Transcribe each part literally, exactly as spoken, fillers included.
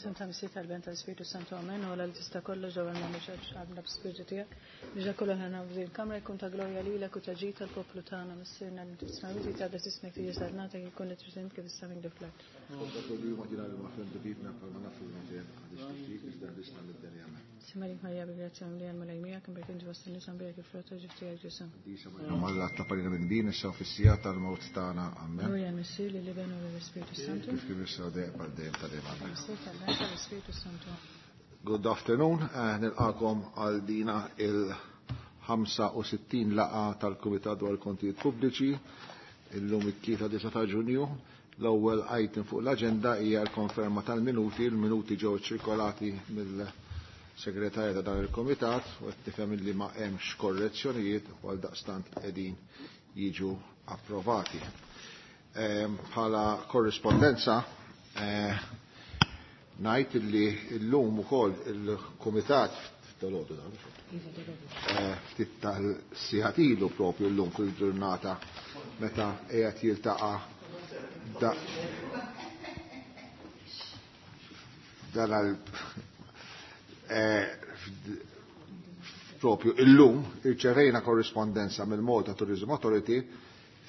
F'isem ta' Missier tal-Ben tal-Spiritu Santu Amen, u li tista' kollox ġewwa l-nagħmlu għabna b'spiritu tiegħek. Biex kollu ħana f'din il-kamra jkun ta' glorja lilek u ta' ġid tal-poplu tagħna Missierna li tisma' ta' ismek tiġi salnatek jkun li trid kif issa minn fl-art. Simalik Marija bi grazzja mimlija l-Mulej miegħek, imbierek inti fost in-nisa mbierek il-frott ta' ġuf tiegħek Ġesù. Alla ta' minn din issa fis-sija tal-mewt tagħna. Amen. Glorja l-Missier lill-Iben u lill-Ispiritu Santu. Kif kien issa dejjem għal dejjem ta' dejjem. Amen. Missier tal-Ben tal-Ispiritu Santu. Good afternoon, eh, nilqakom għal dina il-ħamsa u sittin laqgħa tal-Kumitat dwar il-Kontijiet Pubbliċi illum it-tlieta disa' ta' Ġunju. L-ewwel item fuq l-aġenda hija l-konferma tal-minuti. Il-minuti ġew ċirkolati mill-segretarja ta' dan il-Kumitat u qed tifhem li ma hemmx korrezzjonijiet u għaldaqstant qegħdin jiġu approvati. Ehm, bħala korrispondenza, eh, ngħid li llum ukoll il-Kumitat f'dalodu dan, eh, ftit tal-sigħat ilu propju llum fil-ġurnata meta qiegħed jiltaqa' da dan għal, eh, propju illum irċevejna korrispondenza mill-Malta Tourism Authority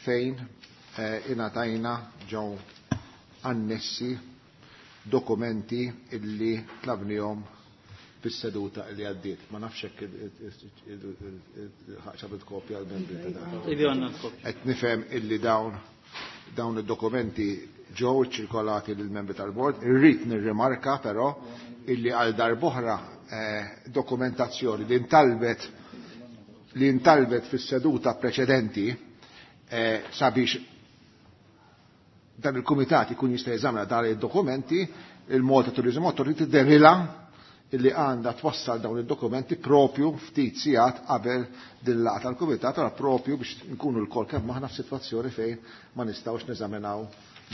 fejn, eh, ingħatajna ġew annessi dokumenti illi tlabnihom fis-seduta li għaddiet. Ma nafx hekk ħaġa kopja għall-membri ta' dan. Ivi għandna l-kopja. Qed nifhem illi dawn, dawn id-dokumenti ġew ċirkolati lill-membri tal-bord. Irrid nirrimarka però illi għal darb'oħra, eh, dokumentazzjoni li ntalbet li ntalbet fis-seduta preċedenti, eh, sabiex dan il-kumitat ikun jista' jeżamina dan id-dokumenti, il-Malta Tourism Authority derilha illi għandha twassal dawn id-dokumenti propju ftit sigħat qabel din laqgħa tal-kumitat, allora propju biex nkunu lkoll kemm aħna f'sitwazzjoni fejn ma nistgħux neżaminaw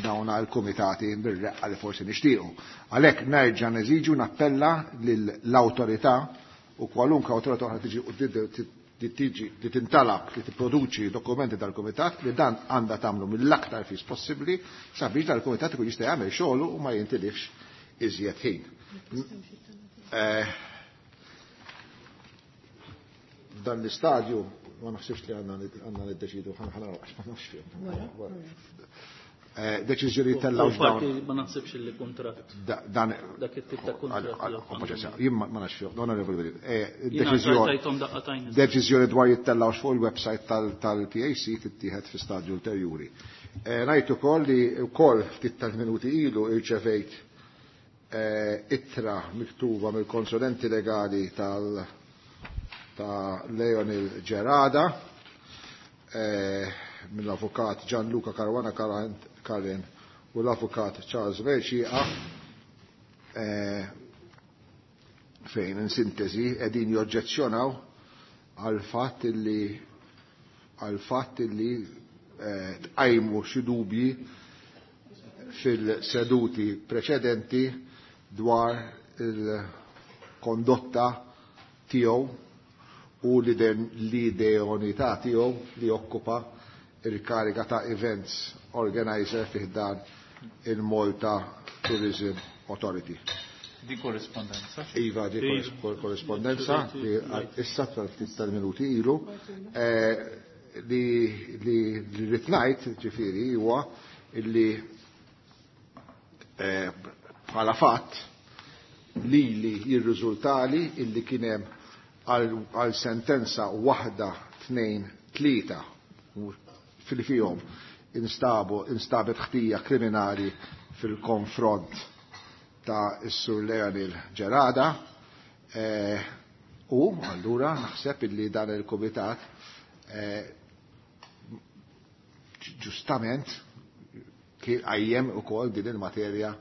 dawn il-kumitati bir-reqqa li forsi nixtiequ. Għalhekk nerġa' neżiġu nappella lill-awtorità u kwalunkwe awtorità oħra tiġi li tiġi li tintalab li tipproduċi dokumenti tal-kumitat li dan għandha tagħmlu mill-aktar fis possibbli sabiex dal-kumitat ikun jista' jagħmel xogħlu u ma jintilifx iżjed ħin. Eh, f'dan l-istadju ma naħsibx li għandna għandna niddeċidu ħana ħana għax ma nafx fihom. Eh, deċiżjoni tellgħu U dawn. Ma naħsibx li kuntratt. Da-, dan Dak it-tip ta' kuntratt Għal-, li għal-, għal-, jien ma nafx fihom, onorevoli Belli. Eh, Jiena deċiżjoni tajthom daqqa tajn. Deċiżjoni dwar jittellgħux fuq il-website tal-, tal-P A C tittieħed fi stadju ulterjuri. Eh, ngħid ukoll li wkoll ftit tal-minuti ilu irċevejt, eh, ittra miktuba mill-konsulenti legali tal-, ta' Leonel Gerada, eh, mill-avukat Gianluca Caruana Karen u l-avukat Charles Mercieca, eh, fejn in sintesi qegħdin joġġezzjonaw għal fatt li għal fatt li, eh, tqajmu xi dubji fil-seduti preċedenti dwar il-kondotta tiegħu u l-ideonità tiegħu li jokkupa il-kariga ta' events organizer fih dan il-Malta Tourism Authority. Di korrespondenza? Iva, di Iva. korres-, korrespondenza li issa tal-ftit tal-minuti ilu, eh, li, li, li rrid ngħid, ġifieri, huwa illi, eh, bħala fatt li li jirriżultali illi kien hemm għal, għal sentenza waħda, tnejn, tlieta fil-fihom instabu, instabet ħtija kriminali fil-konfront ta' is-Sur Leonel Gerada, eh, u allura naħseb illi dan il-kumitat, eh, ġustament kien qajjem ukoll din il-materja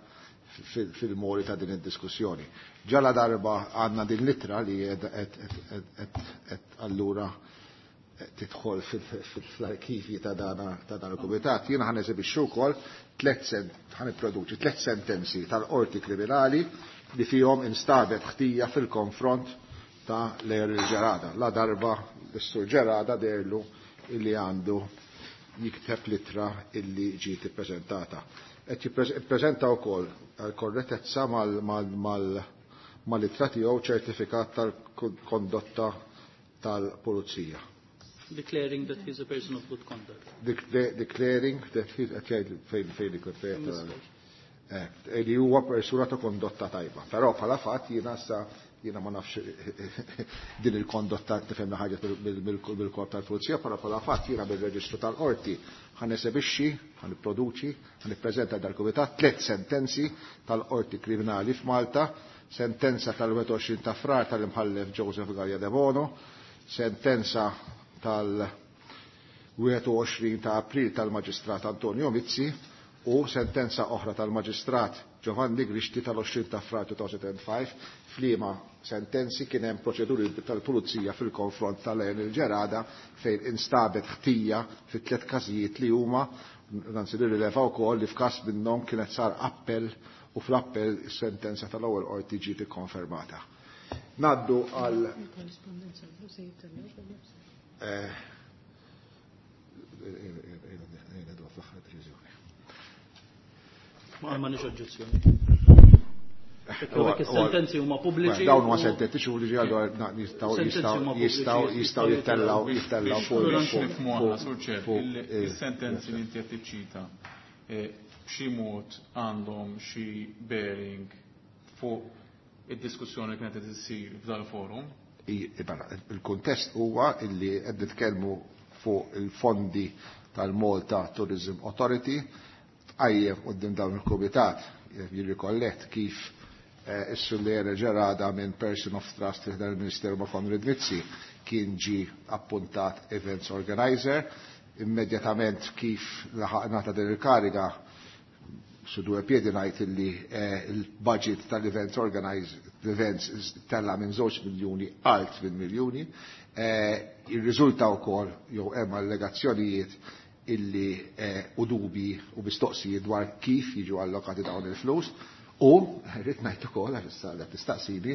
fil-, fil-mori ta' din id-diskussjoni. Ġala darba għandna din l-ittra li qed allura tidħol fil-, fil-, fl-arkivji ta' dana, ta' dan il-kumitat. Jiena ħa neżibixxu wkoll tliet sen-, ħa nipproduċi tliet sentenzi tal-qorti kriminali li fihom instabet ħtija fil-konfront ta' Leonel Gerada. La darba l-Sur Gerada derlu illi għandu jikteb litra illi ġiet ippreżentata. Qed jippreżenta wkoll għal korrettezza mal-ittra tiegħu ċertifikat tal-kondotta tal-pulizija. Declaring that he's a person of good conduct. Declaring that he's qed jgħid fejn fejn ikun fejn li huwa persuna ta' kondotta tajba. Però bħala fatt jiena sa jiena ma nafx din il-kondotta tifhemna ħaġa bil-korp tal-pulizija, però bħala fatt jiena bil-reġistru tal-qorti ħa nesebixxi, ħa nipproduċi, ħa nippreżenta dal-kumitat tliet sentenzi tal-qorti kriminali f'Malta, sentenza tal-wieħed u għoxrin ta' Frar tal-imħallef Joseph Galea de Bono, sentenza tal-wieħed u għoxrin ta' April tal-Maġistrat Antonio Mizzi u sentenza oħra tal-Maġistrat Giovanni Grixti tal-għoxrin ta' Frar duemila u ħamsa, f'liema sentenzi kien hemm proċeduri tal-pulizija fil-konfront tal-Lionel Gerada fejn instabet ħtija fi tliet każijiet li huma, anzi nirrileva wkoll li f'każ minnhom kienet sar appell u fl-appell is-sentenza tal-ewwel qorti ġiet ikkonfermata. Naddu għal eh, Ma ma nix oġġezzjoni. Is-sentenzi huma pubbliċi. Dawn huma sentenzi xi li ġew jistgħu jistgħu jistgħu jittellaw jittellaw fuq fuq is-sentenzi li inti qed tiċċita b'xi mod għandhom xi bearing fuq id-diskussjoni li kienet qed issir f'dal-forum. Il-kuntest huwa illi qed nitkellmu fuq il-fondi tal-Malta Tourism Authority tqajjem quddiem dawn il-kumitat jirrikollet kif is-Sur Lionel Gerada minn Person of Trust fi dan il-Ministeru ma' Konrad Mizzi kien ġi appuntat events organizer. Immedjatament kif laħaqna ta' din il-kariga su due piedi ngħid illi il-budget tal-events organizer events tella minn żewġ miljuni għal tmien miljuni. Irriżulta wkoll jew hemm allegazzjonijiet illi u dubi u mistoqsijiet dwar kif jiġu allokati dawn il-flus. U rrid ngħid ukoll għax issa qed tistaqsini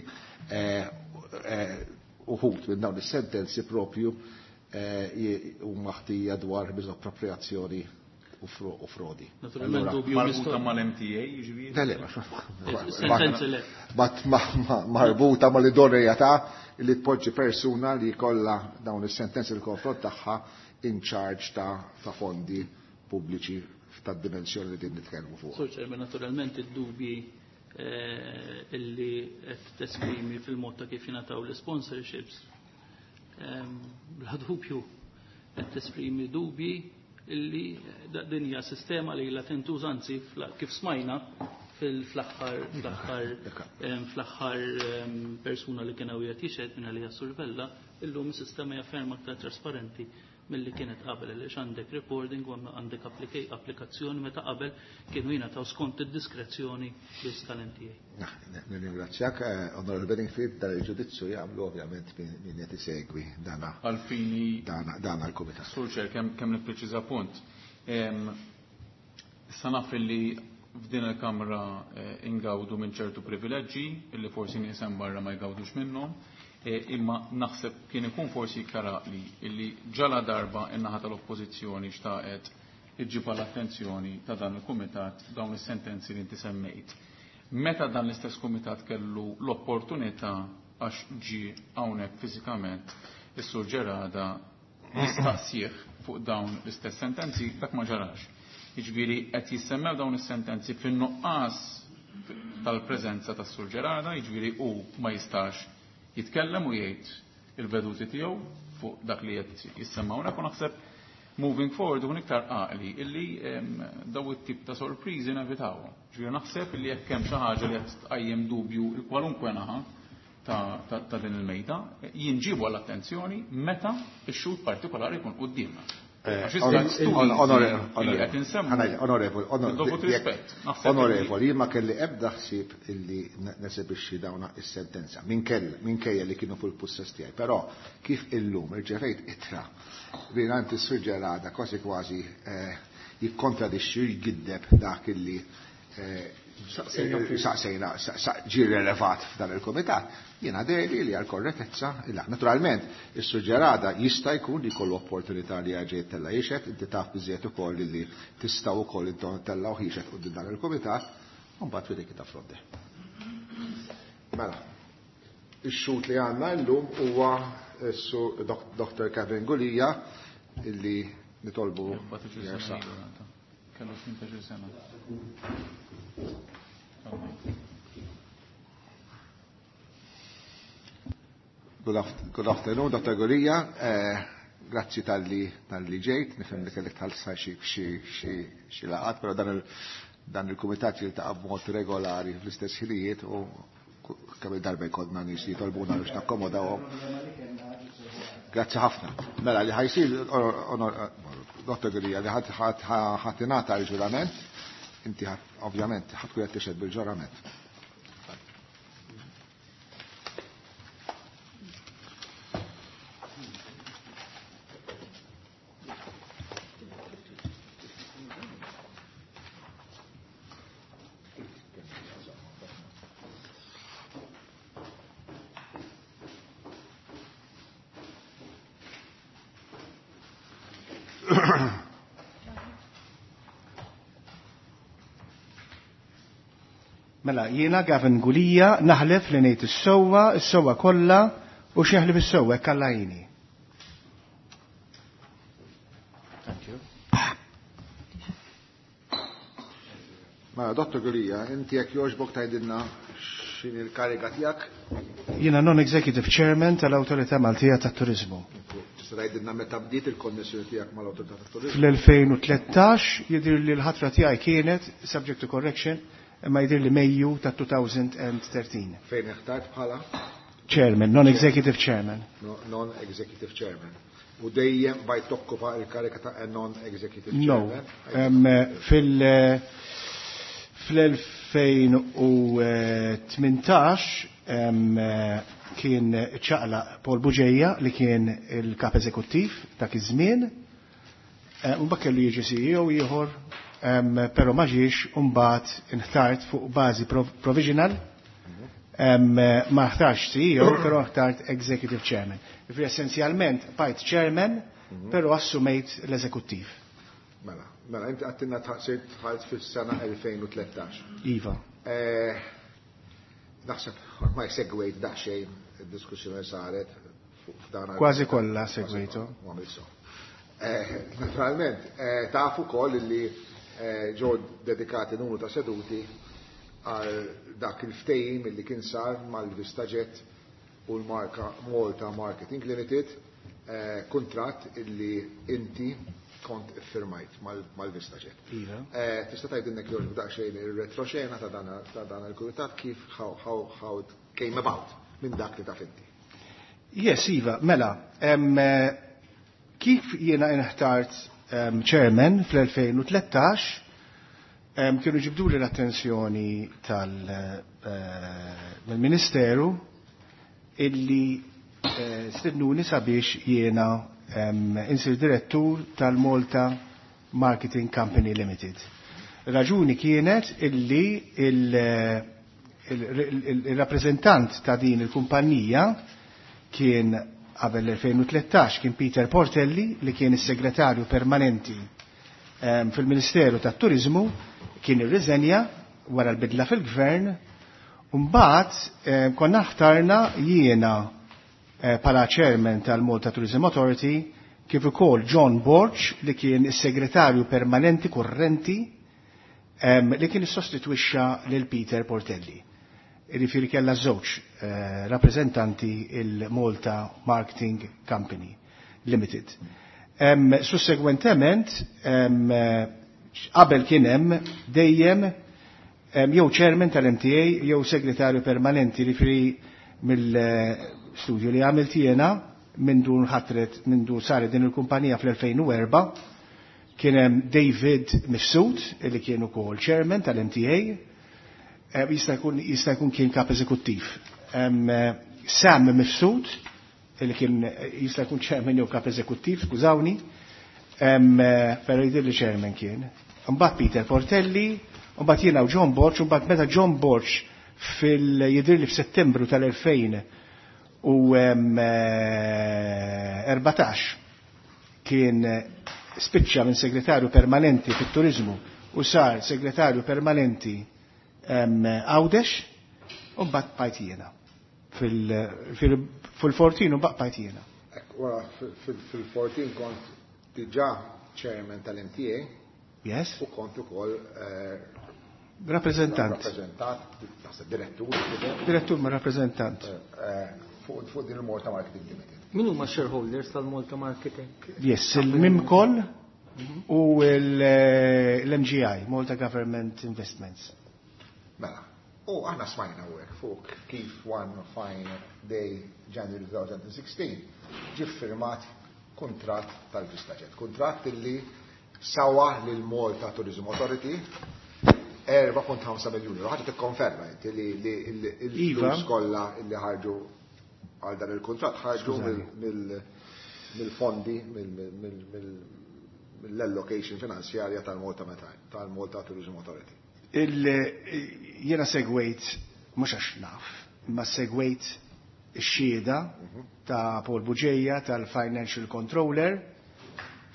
uħud minn dawn is-sentenzi propju huma ħtija dwar miżappropriazzjoni u frodi. Naturalment dubju marbuta mal-M T A, jiġifieri? Le, le, Sentenzi le. Marbuta mal-idoneità li tpoġġi persuna li jkollha dawn is-sentenzi l-konfront tagħha in charge ta' fondi pubbliċi tad-dimensjoni li din nitkellmu fuq. Sur Chairman, naturalment id-dubji illi qed tesprimi fil-mod ta' kif jingħataw l-sponsorships, bla dubju qed tesprimi dubji illi din hija sistema li ilha tintuża, anzi kif smajna fil-aħħar fl-aħħar persuna li kien hawn qiegħed jixhed minn għalija Sur Vella, illum is-sistema hija ferm aktar trasparenti milli kienet qabel, għaliex għandek recording u għandek applikazzjoni meta qabel kienu jingħataw skont id-diskrezzjoni biss tal-M T A. Nirringrazzjak, Onorevole Bedingfield, dan il-ġudizzju jagħmlu ovvjament min qed isegwi dana Għalfini dana l-kumitat. Sur Chair, kemm kemm nippreċiża punt. Issa naf li f'din il-Kamra ingawdu minn ċertu privileġġi illi forsi nies hemm barra ma jgawdux minnhom. Imma naħseb kien ikun forsi iktar għaqli illi ġala darba in-naħa tal-oppożizzjoni xtaqet iġġib l-attenzjoni ta' dan il-kumitat dawn is-sentenzi li inti semmejt. Meta dan l-istess kumitat kellu l-opportunità għax ġie hawnhekk fiżikament is-Sur Gerada jistaqsih fuq dawn l-istess sentenzi, dak ma ġarax. Jiġifieri qed jissemmew dawn is-sentenzi fin-nuqqas tal-preżenza tas-Sur Gerada, jiġifieri hu ma jistax jitkellem u jgħid il-veduti tiegħu fuq dak li qed jissemma hawnhekk, u naħseb moving forward ikun iktar għaqli illi daw it-tip ta' sorpriżi nevitawhom. Ġifieri naħseb illi jekk hemm xi ħaġa li qed tqajjem dubju il kwalunkwe naħa ta', ta, ta' din il-mejda, jinġibu għall-attenzjoni meta x-xhud partikolari jkun quddiemna. Għax issa Onorevoli, li qed insemmu onorevoli, dovut rispett. Naħseb li onorevoli, jien ma kelli ebda ħsieb illi nesebixxi dawna is-sentenza minkejja li kienu fuq il-pussess tiegħi, però kif illum irċevejt ittra mingħand is-Sur Gerada kważi kważi jikkontradixxi u jgiddeb dak illi Saqsejna, ġie relevat f'dan il-komitat. Jiena deli li għal korrettezza, illa, naturalment, is-Sur Gerada jista' jkun li jkollu opportunità li jerġa' jittella' jixhed, inti taf biżejjed ukoll li tistgħu wkoll intom tellgħu jixhed quddiem dan il-komitat, u mbagħad we take it from there. Mela, ix-xhud li għandna llum huwa s-Sur Doctor Kevin Gulia illi nitolbu jersaq. Kellu tmintax-il sena. Good, good afternoon, Doctor Gulia. Eh, grazzi tal-li tal-li ġejt, nifhem li kellek tħallsa xi xi xi xi laqgħat, però dan il dan il-kumitat jiltaqa' b'mod regolari fl-istess ħinijiet u kemm il-darba jkollna nies jitolbuna biex nakkomodawhom. Grazzi ħafna. Mela li ħa jsir, Dottor Gulia, li ħa tingħata l-ġurament, inti ovvjament ħa tkun qed tixhed bil-ġurament. Mela, jiena Gavin Gulia naħlef li ngħid is-sewwa, is-sewwa kollha u x'jaħlef is-sewwa hekk Alla jgħinni. Thank you. Mela, Dottor Gulia, inti jekk jogħġbok tgħidilna x'inhi l-kariga tiegħek? Jiena non-executive chairman tal-Awtorità Maltija tat-Turiżmu. Tista' tgħidilna meta bdiet il-konnessjoni tiegħek mal-Awtorità tat-Turiżmu? Fl-elfejn u tlettax jidhir li l-ħatra tiegħi kienet subject to correction, imma jidhir li Mejju ta' two thousand and thirteen. Fejn ħtart bħala? Chairman, non-executive chairman. No, non-executive chairman. U dejjem bajt tokkupa il-karika ta' non-executive No. chairman? Em, fil-, fl-elfejn u tmintax, em, kien ċaqla Paul Bugeja li kien il-kap eżekuttiv dak iż-żmien. Eh, u mbagħad kellu jiġi C E O ieħor, em, però ma ġiex, u mbagħad inħtart fuq bażi prov-, provisional. Em, ma ħtarx C E O, però ħtart Executive Chairman. Ġifieri essenzjalment bajt Chairman, però assumejt l-eżekuttiv. Mela, mela, inti għattinna tħaqsirt tħalt fis-sena elfejn u tlettax. Iva. Eh, naħseb ma jsegwejt daqsxejn id-diskussjoni saret fuq f'dan għal- Kważi kollha Kważi segwejtu. kollha, ma għamilx so. Eh, naturalment, eh, tafu wkoll li, eh, ġew dedikati numru ta' seduti għal dak il-ftehim li kien sar mal-VistaJet u l-marka Malta Marketing Limited, eh, kuntratt illi inti kont iffirmajt mal-, mal-VistaJet. Iva. Eh, tista' tgħidilna jekk daqsxejn ir-retroxena ta' dan, ta' dan il-kumitat kif how, how, how it came about minn dak li taf inti. Yes, Iva, mela, em, eh, kif jiena inħtart, em, chairman fl-elfejn u tlettax, em, kienu ġibduli l-attenzjoni tal, eh, mill-Ministeru illi, eh, stednuni sabiex jiena, em, insir direttur tal-Malta Marketing Company Limited. Raġuni kienet illi il, il, il, il-rappreżentant ta' din il-kumpanija kien qabel l-elfejn u tlettax kien Peter Portelli li kien is-segretarju permanenti, em, fil-Ministeru tat-Turiżmu, kien irriżenja wara l-bidla fil-gvern, u mbagħad, em, konna ħtarna jiena, eh, bħala chairman tal-Malta Tourism Authority kif ukoll John Borg li kien is-segretarju permanenti kurrenti, em, li kien issostitwixxa lil Peter Portelli. Jiġifieri kellha żewġ, eh, rappreżentanti il-Malta Marketing Company Limited. Em, sussegwentement, em, qabel kien hemm dejjem, em, jew chairman tal-M T A jew segretarju permanenti, jiġifieri mill-studju li għamilt jiena minn dun ħatret, minn dun saret din il-kumpanija fl-elfejn u erba', kien hemm David Mifsud li kien ukoll chairman tal-M T A, eh, jista' jkun, jista' jkun kien kap eżekuttiv. Em, eh, Sam Mifsud li kien jista' jkun chairman jew kap eżekuttiv, skużawni, em, eh, però jidher li chairman kien. Mbagħad Peter Portelli U mbagħad jiena u John Borg, u mbagħad meta John Borg fil-jidhirli f'Settembru tal-elfejn u erbatax kien spiċċa minn segretarju permanenti fit-turizmu u sar segretarju permanenti Għawdex, u mbagħad bqajt jiena. Fil-fourteen u mbagħad bqajt jiena. Wara fil-fourteen kont diġà chairman tal-M T A. Yes. U kont ukoll rappreżentant. Rappreżentant, naħseb direttur. Direttur ma' rappreżentant. Fuq din il-Malta Marketing Limited. Min huma shareholders tal-Malta Marketing? Yes, il-Mimcol u l-M G I, Malta Government Investments. Mela, u aħna smajna u hekk fuq kif one fine day January twenty sixteen ġie firmat kuntratt tal-VistaJet, kuntratt illi sawa lil Malta Tourism Authority erba' punt ħamsa miljuni. Ħaġa tikkonferma inti li l-flus kollha illi ħarġu għal dan il-kuntratt ħarġu mill-fondi, mill-allocation finanzjarja tal-Malta tal-Malta Tourism Authority. Jiena segwejt, mhux għax naf, imma segwejt ix-xhieda ta' Paul Bugeja tal-Financial Controller.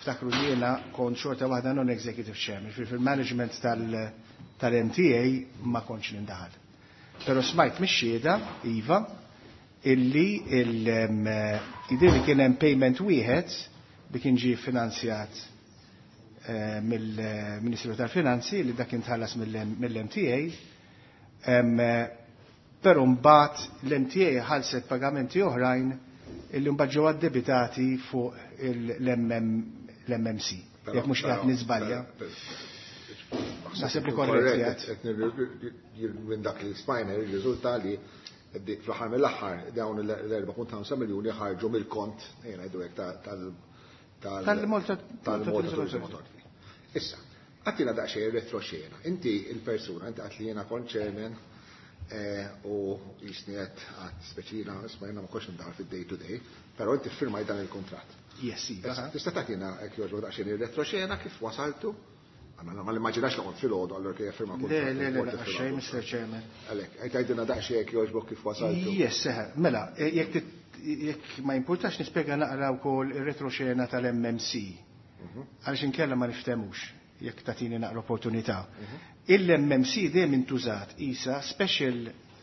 Ftakru li jiena kont xorta waħda non-executive chairman, fil-management tal-M T A ma kontx nindaħal. Però smajt mix-xhieda, iva, illi jidher li kien hemm payment wieħed li kien ġie finanzjat mill-Ministru tal-Finanzi li dak kien tħallas mill-M T A, però mbagħad l-M T A ħallset pagamenti oħrajn illi mbagħad ġew addebitati fuq l-M M C. Jekk mhux qiegħed niżbalja. Naħseb li korrett. Minn dak li smajna jirriżulta li fl-aħħar mill-aħħar dawn l-erba' punt ħamsa miljuni ħarġu mill-kont, ejja ngħidu hekk, tal-Malta tal-Malta Tourism Authority. Issa, għattina daqsxejn retroxena. Inti il-persuna, inti għat li jiena kont chairman u jisni qed għad speċina, isma' jiena ma kontx ndaħal fid-day to day, però inti ffirmajt dan il-kuntratt. Yes, iva. Issa, tista' tagħtina hekk jogħġbok daqsxejn ir-retroxena kif wasaltu? Għanna ma l-immaġinax li kont fil-għodu, allora kif firma Le, kuntratt, le, le, kont le, firma xejn, kuntratt. Mister Chairman. Għalhekk, qed tgħidilna daqsxejn hekk jogħġbok kif wasaltu. Yes, seħ, mela, jekk jekk ma jimpurtax nispjega naqra wkoll ir-retroxena tal-M M C. Għaliex inkella ma niftemux jekk tagħtini naqra opportunità. Il-M M C dejjem intużat isa special,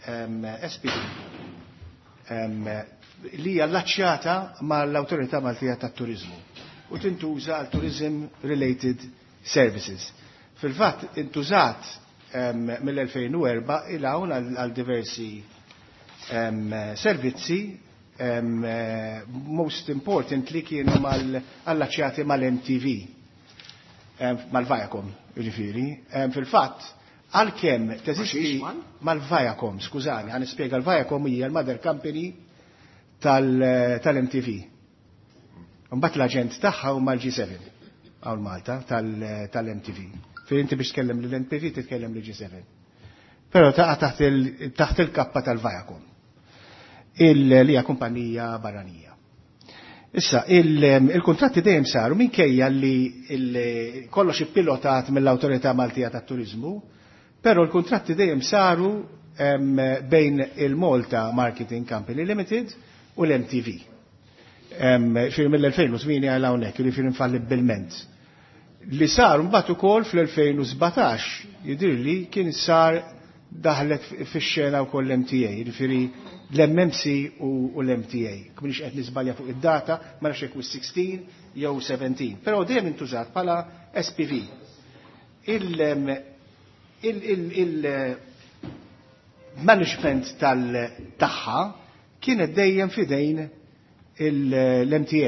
um, S P D, um, li hija allaċċjata mal-Awtorità Maltija tat-Turiżmu u tintuża għal tourism related services. Fil-fatt intużat, um, mill-elfejn u erba' il hawn għal diversi, um, servizzi, um, most importantly kienu mal-allaċċjati mal-M T V, um, mal-Viacom, jiġifieri. Um, fil-fatt, għalkemm teżisti mal-Viacom, skużani, ħa nispjega, l-Viacom hija l-mother company tal-M T V. Mbagħad l-aġent tagħha huma l-G seven hawn Malta tal-M T V. Fejn inti biex tkellem lill-M T V titkellem lill-G seven. Però taqa' taħt il-kappa tal-Viacom, li hija kumpanija barranija. Issa, il-kontratti dejjem saru minkejja li kollox ippilotat mill-Awtorità Maltija tat-Turiżmu, però l-kontratti dejjem saru bejn il-Malta Marketing Company Limited u l-M T V. Fir mill-elfejn u tmienja għal hawnhekk, jiġifieri infallibbilment. Li sar mbagħad ukoll fl-elfejn u sbatax jidhirli kien sar daħlet fix-xena wkoll l-M T A, jiġifieri l-M M C u l-M T A. M'iniex qed niżbalja fuq id-data, ma nafx jekk sixteen jew seventeen, però dejjem intużat bħala S P V. Il-management tal-tagħha kienet dejjem fidejn l-M T A.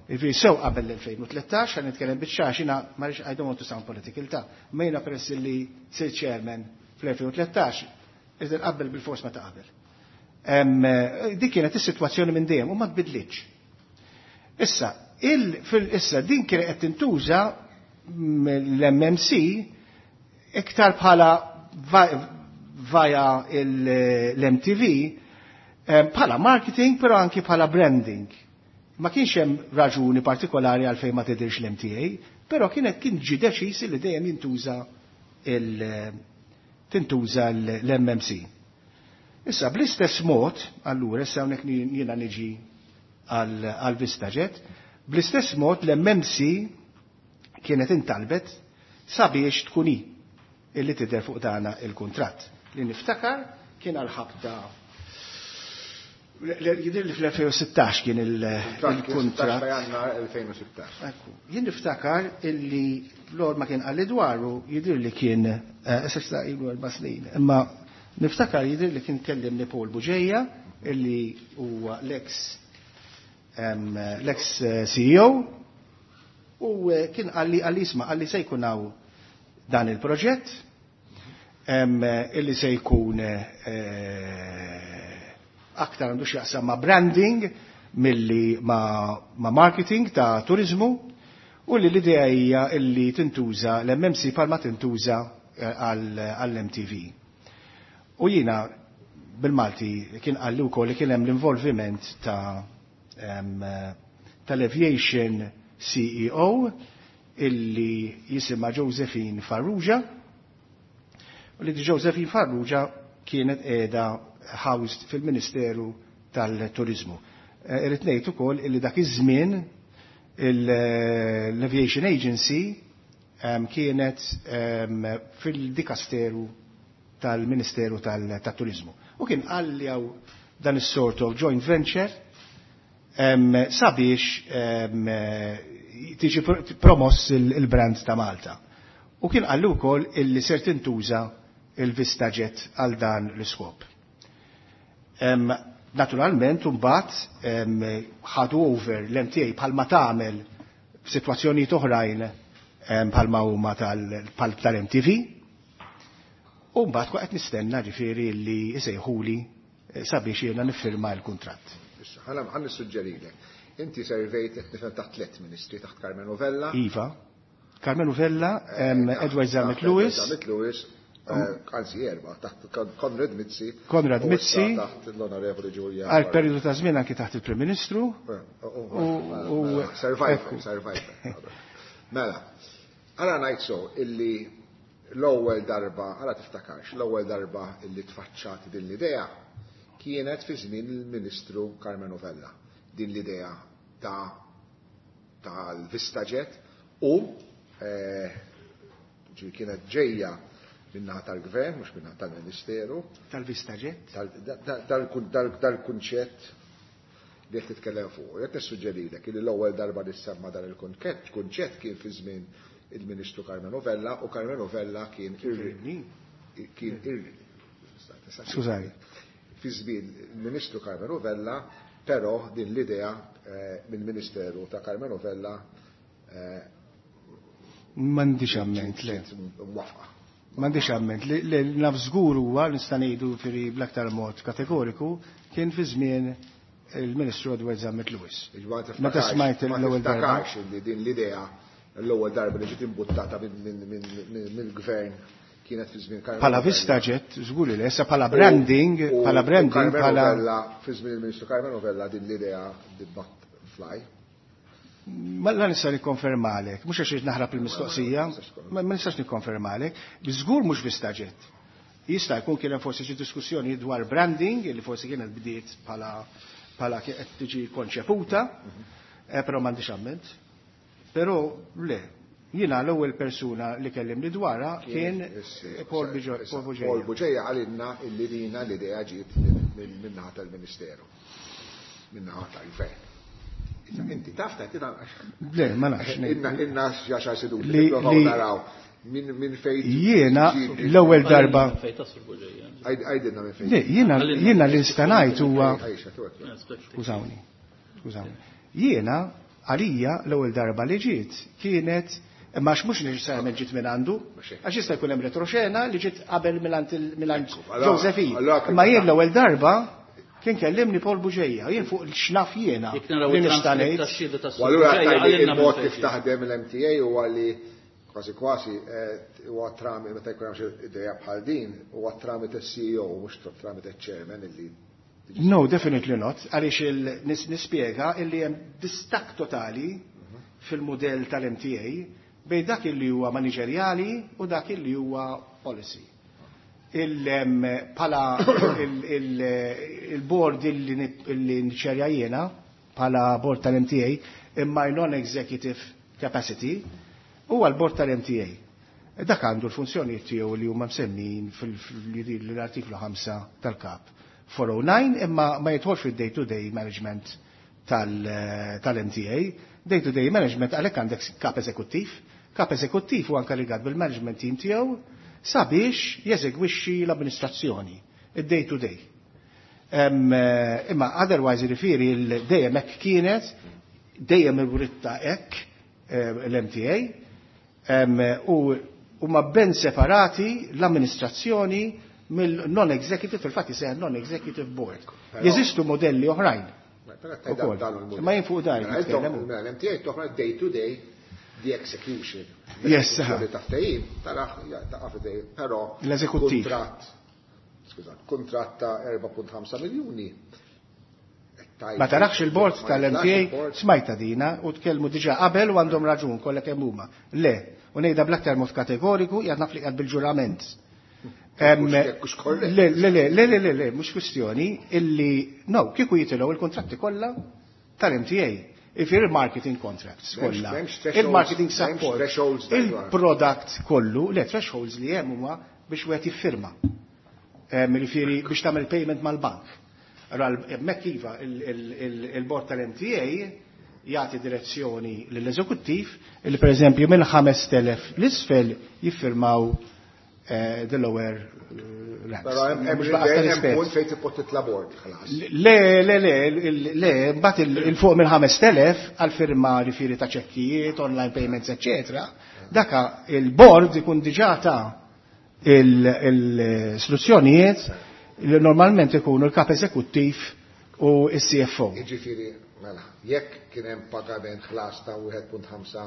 Jiġifieri sew qabel l-elfejn u tlettax, ħa nitkellem biċ-ċar, jiena ma rridx, I don't want to sound political ta' ma jiena peress li sir chairman fl-elfejn u tlettax, iżda qabel bil-fors ma ta' qabel. Dik kienet is-sitwazzjoni minn dejjem u ma tbidlitx. Issa, il-, fil-, issa din kienet qed tintuża l-M M C iktar bħala vaja l-M T V, bħala marketing, però anki bħala branding. Ma kienx hemm raġuni partikolari għalfejn ma tidirx l-M T A, però kienet kien ġi deċiż li dejjem jintuża tintuża l-M M C. Issa bl-istess mod, allura issa hawnhekk jiena niġi għal VistaJet, bl-istess mod l-M M C kienet intalbet sabiex tkun hi illi tidher fuq dana il-kuntratt. Li niftakar kien għal-ħabta jidher li fl-elfejn u sittax kien il-kuntratt. Jannar elfejn u sittax. Ekku, jien niftakar illi l ma kien qalli dwaru jidher li kien, issa ilu erba' snin, imma niftakar jidher li kien kellimni Paul Bugeja illi huwa l-ex l-ex C E O u kien qalli qalli isma', qalli se jkun hawn dan il-proġett illi se jkun aktar għandu x'jaqsam ma' branding milli ma', ma marketing ta' turizmu u li l-idea hija illi tintuża l-M M C palma tintuża għall-M T V. U jiena bil-Malti kien qalli wkoll li kien hemm l-involviment ta' tal-Aviation C E O illi jisimha Josephine Farrugia u li Josephine Farrugia kienet qiegħda housed fil-Ministeru tal-Turizmu. Irrid ngħid ukoll illi dak iż-żmien l-Aviation Agency kienet fil-dikasteru tal-Ministeru tal-Turizmu. U kien qalli hawn dan is-sort of joint venture sabiex tiġi promoss il-brand ta' Malta. U kien qalli wkoll illi ser tintuża il-VistaJet għal dan l-iskop. Naturalment, mbagħad ħadu over l-M T A bħalma tagħmel f'sitwazzjonijiet oħrajn bħalma huma tal-M T V. U mbagħad qed nistenna ġifieri li jsejħuli sabiex jiena niffirma l-kuntratt. Issa, ħa nissuġġerilek. Inti servejt qed nifhem taħt tliet ministri, taħt Karmenu Vella. Iva. Karmenu Vella, Edward Zammit Lewis. Zammit Lewis, anzi erba, taħt Konrad Mizzi. Konrad Mizzi. Taħt l-Onorevoli Julia. Għal periodu ta' żmien anki taħt il-Prim Ministru. Survivor, survivor. Mela, għala ngħid so illi l-ewwel darba, għala tiftakarx, l-ewwel darba illi tfaċċat din l-idea kienet fi żmien il-Ministru Karmenu Vella. Din l-idea ta' tal-VistaJet u kienet ġejja min-naħa tal-gvern, mhux min-naħa tal-Ministeru. Tal-VistaJet? Dal-kunċett li qed titkellem fuq. Jekk nissuġġerilek li l-ewwel darba li semma dan il-kunċett kunċett kien fi żmien il-Ministru Karmenu Vella u Karmenu Vella kien kien Skużani. Fi żmien il-Ministru Karmenu Vella, però din l-idea mill-Ministeru ta' Karmenu Vella M'għandix amment, le. Mwafqa. M'għandix amment. Li naf żgur huwa nista' ngħidu firri bl-aktar mod kategoriku kien fi żmien il-Ministru Edward Zammit Lewis. Meta smajt l-ewwel darba. Li din l-idea l-ewwel darba li ġiet imbuttata mill-gvern kienet fi żmien Karmenu. Bħala VistaJet, żgur li issa bħala branding, bħala branding, bħala fi żmien il-Ministru Karmenu Vella din l-idea did not fly. Ma la nista' nikkonfermalek, mhux għax naħrab il-mistoqsija, ma nistax nikkonfermalek, żgur mhux VistaJet. Jista' jkun kien hemm forsi xi diskussjoni dwar branding li forsi kienet bdiet bħala bħala qed tiġi konċeputa, però m'għandix amment. Però le, jiena l-ewwel persuna li kellimni dwarha kien Paul Bugeja. Paul Bugeja qalilna illi dina l-idea ġiet min-naħa tal-Ministeru, min-naħa tal-Gvern. Inti taf ta' Le, ma nafx. Inna inna għaxar seduti. Li naraw minn min fejn. Jiena l-ewwel darba. Għajdilna minn fejn. Le, jiena jiena li nista' ngħid huwa, skużawni, skużawni. Jiena għalija l-ewwel darba li ġiet kienet, imma għax mhux neċessarjament ġiet minn għandu, għax jista' jkun hemm retroxena li ġiet qabel minn Josephine. Imma jien l-ewwel darba kien kellimni Paul Bugeja, jien fuq x'naf jiena. Li nista' ngħid. U allura il-mod kif taħdem l-M T A huwa li kważi kważi huwa tramite, meta jkun hemm xi idea bħal din, huwa tramite C E O mhux tramite chairman illi No, definitely not. Għaliex nispjega illi hemm distak totali fil-modell tal-M T A bejn dak li huwa maniġerjali u dak li huwa policy. Pala il-board illi nċerja jiena, pala board tal-M T A, imma non-executive capacity, huwa l-board tal-M T A. Dak għandu l-funzjoni tiegħu li huma msemmin fil-artiklu ħamsa tal-kap four oh nine, imma ma jidħolx fid-day-to-day management tal-M T A. Day-to-day management għalhekk għandek kap eżekuttiv. Kap eżekuttiv huwa inkarigat bil-management team tiegħu sabiex jeżegwixxi l-amministrazzjoni, id-day-to-day. Imma otherwise jiġifieri dejjem hekk kienet, dejjem irwritta hekk l-M T A, u huma ben separati l-amministrazzjoni mill-non-executive, fil-fatt jisejjaħ non-executive board. Jeżistu modelli oħrajn. Ma jien fuq dan. L-M T A toħra day-to-day the execution. Yes, però l-eżekuttiv. Kuntratt ta' erba' punt ħamsa miljuni. Ma tarax il-board tal-M T A smajta dina u tkellmu diġà qabel u għandhom raġun kollha kemm huma. Le, u ngħidha bl-aktar mod kategoriku jgħid naf li qiegħed bil-ġurament. Le, le, le, le, le, le, le, mhux kwistjoni illi no, kieku jitilgħu il-kontratti kollha tal-M T A. Ifir il-marketing contracts kollha, il-marketing support, il-product kollu, le thresholds li hemm huma biex wieħed jiffirma. Jiġifieri biex tagħmel payment mal-bank. Allora hemmhekk iva il-board tal-M T A jagħti direzzjoni lill-eżekuttiv li pereżempju minn ħames telef l-isfel jiffirmaw the lower ranks. Però hemm punt fejn tibqa' titla' board ħlas. Le, le, le, le, mbagħad il-fuq minn ħames telef għal firma jiġifieri ta' ċekkijiet, online payments, eċċetera. Daka il-board ikun diġà ta' l-istruzzjonijiet li normalment ikunu l-kap eżekuttiv u s-C F O. Jiġifieri, mela, jekk kien hemm pagament ħlas ta' wieħed punt ħamsa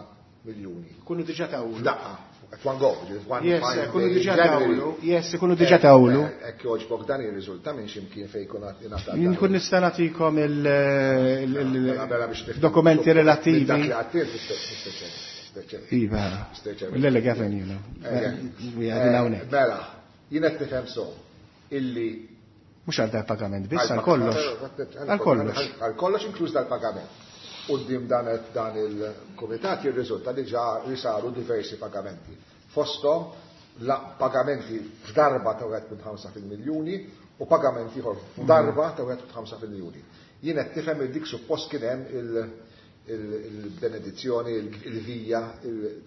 miljuni. Kunu diġà tawlu. F'daqqa. At one go, just one Yes, fine kunu day diġà in January. tawlu. Yes, kunu diġà tawlu. Eh, hekk jogħġbok dan jirriżulta minn x'imkien fejn jkun għad ingħatat Jien dan. kun nista' nagħtikom il-, il-, il-, Mela, mela biex nifhem. dokumenti Minn dak relattivi. li għattir, Mister Chairman, Mister Chairman. Iva. Mister Chairman. Le, le, Gavin, you know. Eh, eh. We are in hawnhekk. Mela, jien qed nifhem so illi Mhux għal dal-pagament biss, għal kollox. Għal kollox. Għal kollox inkluż dal-pagament. Quddiem dan, dan il-kumitat jirriżulta li ġa li saru diversi pagamenti. Fosthom la pagamenti f'darba ta' wieħed punt ħamsa fil-miljuni u pagamenti ieħor f'darba ta' wieħed punt ħamsa fil-miljuni. Jien qed nifhem li dik suppost kien hemm il-, il-, il-benedizzjoni, il-vija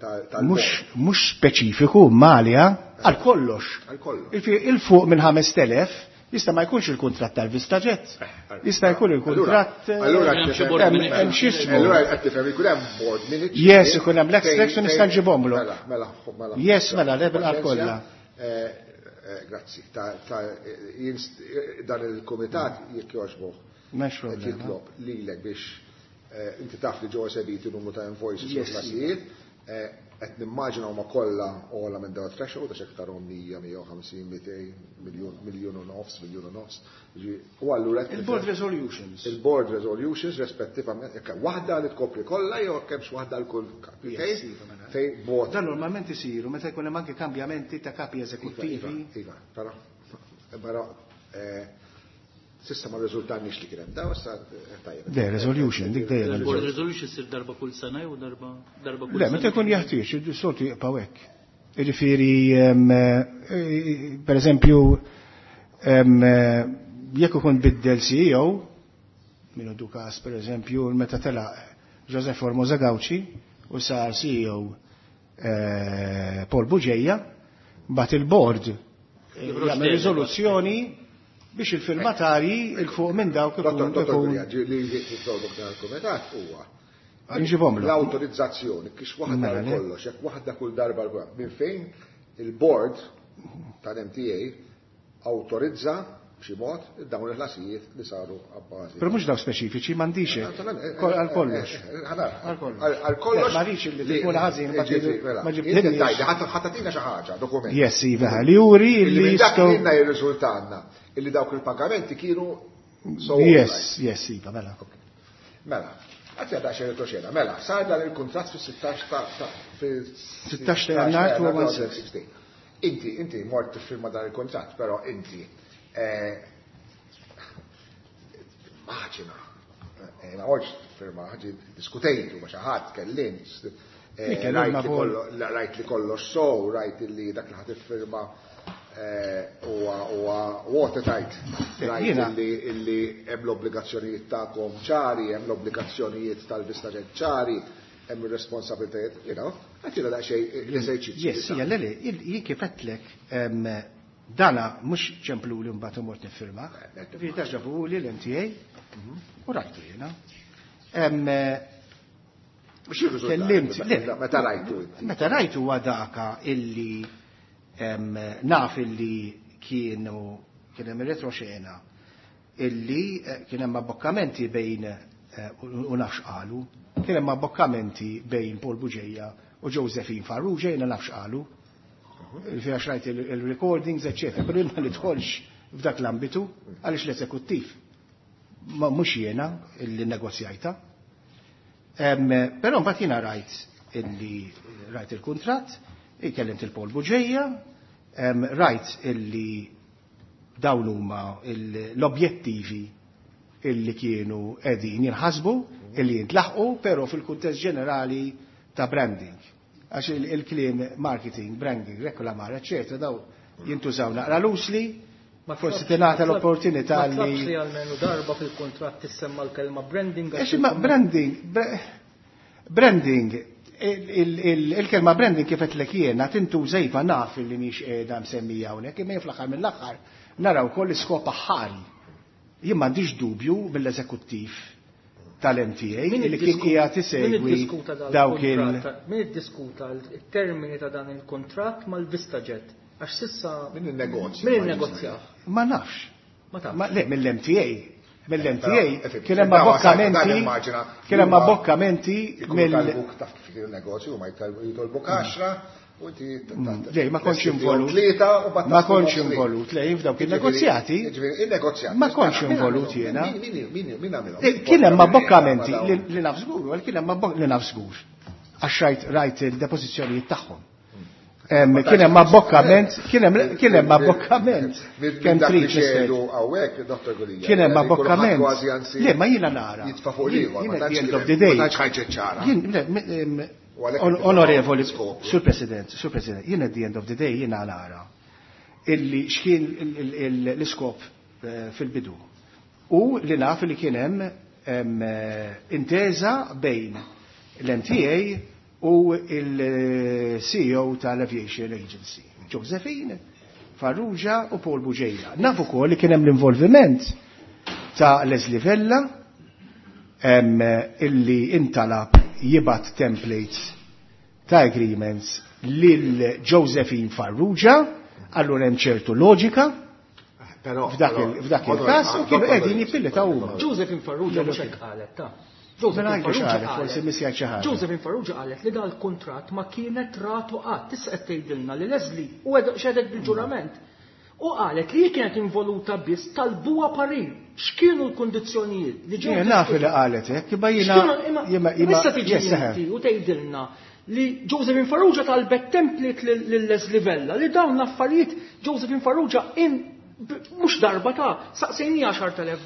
tal-bord. Mhux, mhux speċifiku Malja għal kollox. Għal kollox. Il-fuq minn ħames telef jista' ma jkunx il-kuntratt tal-Vistaġett. Jista' jkun il-kuntratt, Allura, eh, qed xi tifhem- board hemm- minutes. hemm xi ismu. Allura qed tifhem ikun hemm board minutes. Yes, ikun hemm l-extracts u Fejn- nista' nġibhomlu. Mela, mela, mela. Yes, mela, le bil-qal kollha. Eh, eh, grazzi. Ta-, ta-, jien st-, dan il-kumitat jekk jogħġbok M'hemmx qed problema. jitlob lilek biex, eh, inti taf li ġew esebiti numru ta' invoices u Yes. klasijiet, eh, qed nimmaġina huma kollha ogħla minn dawn threshold għax hekk tarhom mija, mija u ħamsin, mitejn, miljun, miljun u nofs, miljun u nofs. Ġi, u allura qed Il-board nifhem resolutions. Il-board resolutions rispettivament, jekk hemm waħda li tkopri kollha jew hekk hemmx waħda l kull kap. Yes, Fejn iva, mela. fejn bot. Dan normalment isiru meta jkun hemm anke kambjamenti ta' kapi eżekuttivi. Iva, iva, però, però, eh, sissa ma riżultanniex li kien hemm daw, issa, eh, tajjeb. Le, resolution, dik dejjem. Il-board resolution issir darba kull sena jew darba, darba kull Le, sena? meta jkun jeħtieġ, is-soltu jibqgħu hekk. Jiġifieri, ehm, eh, per eżempju, ehm, eh, jekk ikun biddel C E O, minnu Dukas, per eżempju, meta telaq Joseph Formosa Gauci u sar C E O, eh, Paul Bugeja, mbagħad il-board, eh, Joħroġ jagħmel delega. riżoluzzjoni biex il-firmatari il-fuq minn dawk ikun Dottor, dottor ikun Guria, li jitolbok dan il-kumitat huwa Nġibhomlu. L-autorizzazzjoni, kix waħda Mela, għal le. kollox, jekk waħda kull darba l-kull, minn fejn il-board tal-M T A autorizza b'xi mod dawn il-ħlasijiet li saru abbażi. Però mhux daw speċifiċi, m'għandix hekk. Eh, eh, Kol-, għal eh, kollox. eh, eh, ħanar. Għal kollox. Għal, għal kollox. Le, ma rridx li li tkun ħażin, ma ġifieri, ġib- mela. ma ġib- Inti ġibni. tajdi, ħadd-, ħadd tagħtina xi ħaġa, dokument. Yes, iva, li juri Illi li minn dak jistgħu li jirriżultanna illi dawk il-pagamenti kienu so Yes, yes, iva, mela. Okay. Mela, Għazzi għadha xejn retroxena. Mela, sar dan il-kuntratt fis-sittax ta' fis-sittax ta' Jannar elfejn u sittax. Inti, inti mort tiffirma dan il-kuntratt, però inti maċina. Ma mortx tiffirma, ħaġi diskutejtu ma' xi ħadd, kellimt. Rajt li kollox sow, rajt li dak li ħa tiffirma huwa watertight. Rajt li hemm l-obbligazzjonijiet tagħkom ċari, hemm l-obbligazzjonijiet tal-VistaJet ċari, hemm ir-responsabilitajiet, you know, għatina daqsxejn l-eżerċizzju. Yes, hija le le, jien kif għedtlek dana mhux ċemplu li mbagħad imort niffirma. Ġifieri ġabu li l-M T A u rajtu jiena. Kellimt, meta rajtu? Meta rajtu huwa daka illi naf illi kienu kien hemm retroxena illi kien hemm abbokkamenti bejn u nafx qalu, kien hemm abbokkamenti bejn Paul Bugeja u Josephine Farrugia, jiena nafx qalu. Għax rajt il-recordings, eccetera, pero ma nidħolx f'dak l-ambitu għaliex l-eżekuttiv. Ma mhux jiena illi negozjajta. Però mbagħad jiena rajt illi rajt il-kuntratt, ikkellimt il-Paul Bugeja, rajt illi dawn huma l-objettivi illi kienu qegħdin jinħasbu, illi jintlaħqu, però fil-kuntest ġenerali ta' branding. Għax il-kliem marketing, branding, reklamar, eccetera, daw jintużaw naqra loosely, forsi tingħata l-opportunità li. Ma li almenu darba fil-kuntratt tissemma l-kelma branding. Għax imma branding, branding, il-kelma branding kif qed jiena tintuża iva naf li mhix qiegħda msemmija hawnhekk, imma fl-aħħar mill-aħħar naraw ukoll l-iskop aħħari. Jien m'għandix dubju mill-eżekuttiv tal-M T A li kien qiegħed isegwi dawk il Min iddiskuta il-termini ta' dan il-kontratt mal-VistaJet? Għax s'issa Min il-negozju? Min il-negozja? Ma nafx. Ma tafx. Le, mill-M T A. Mill-M T A kien hemm abbokkamenti. Kien hemm abbokkamenti mill Taf kif il-negozju ma jitolbuk għaxra u inti Le, ma kontx involut. Ma kontx involut, le, f'dawk il-negozjati. Il-negozjati. Ma kontx involut jiena. Min għamilhom? Kien hemm abbokkamenti li naf żgur, kien hemm li naf żgur. Għax rajt rajt il-depożizzjonijiet tagħhom. Kien hemm abbokkament, kien hemm abbokkament. Kemm trid xedu hawnhekk, Dottor Gulia. Kien hemm abbokkament. Le, ma jiena nara. Jitfa' fuq ieħor, ma tantx ħaġa ċara. Onorevoli, Sur President, Sur President, jien at the end of the day jiena nara illi x'kien l-iskop fil-bidu. U li naf li kien hemm intesa bejn l-M T A u il-C E O tal-Aviation Agency, Josephine Farrugia u Paul Bugeja. Naf ukoll li kien hemm l-involviment ta' Leslie Vella illi intalab jibgħat templates ta' agreements lil Josephine Farrugia, allura hemm ċertu loġika f'dak il-każ u kienu qegħdin jippilletaw huma. Josephine Farrugia mhux hekk qalet ta' Josephine forsi xi ħaġa. Josephine Farrugia qalet li dal-kuntratt ma kienet ratu qatt. Issa qed tgħidilna li Leslie u xedet bil-ġurament. U qalet li kienet involuta biss talbuha parir. X'kienu l-kundizzjonijiet li ġew? Naf li qalet hekk, imma jiena Issa tiġi inti u tgħidilna li Josephine Farrugia talbet template lil Leslie Vella li dawn l-affarijiet Josephine Farrugia in mhux darba ta' saqsejnija għaxart elef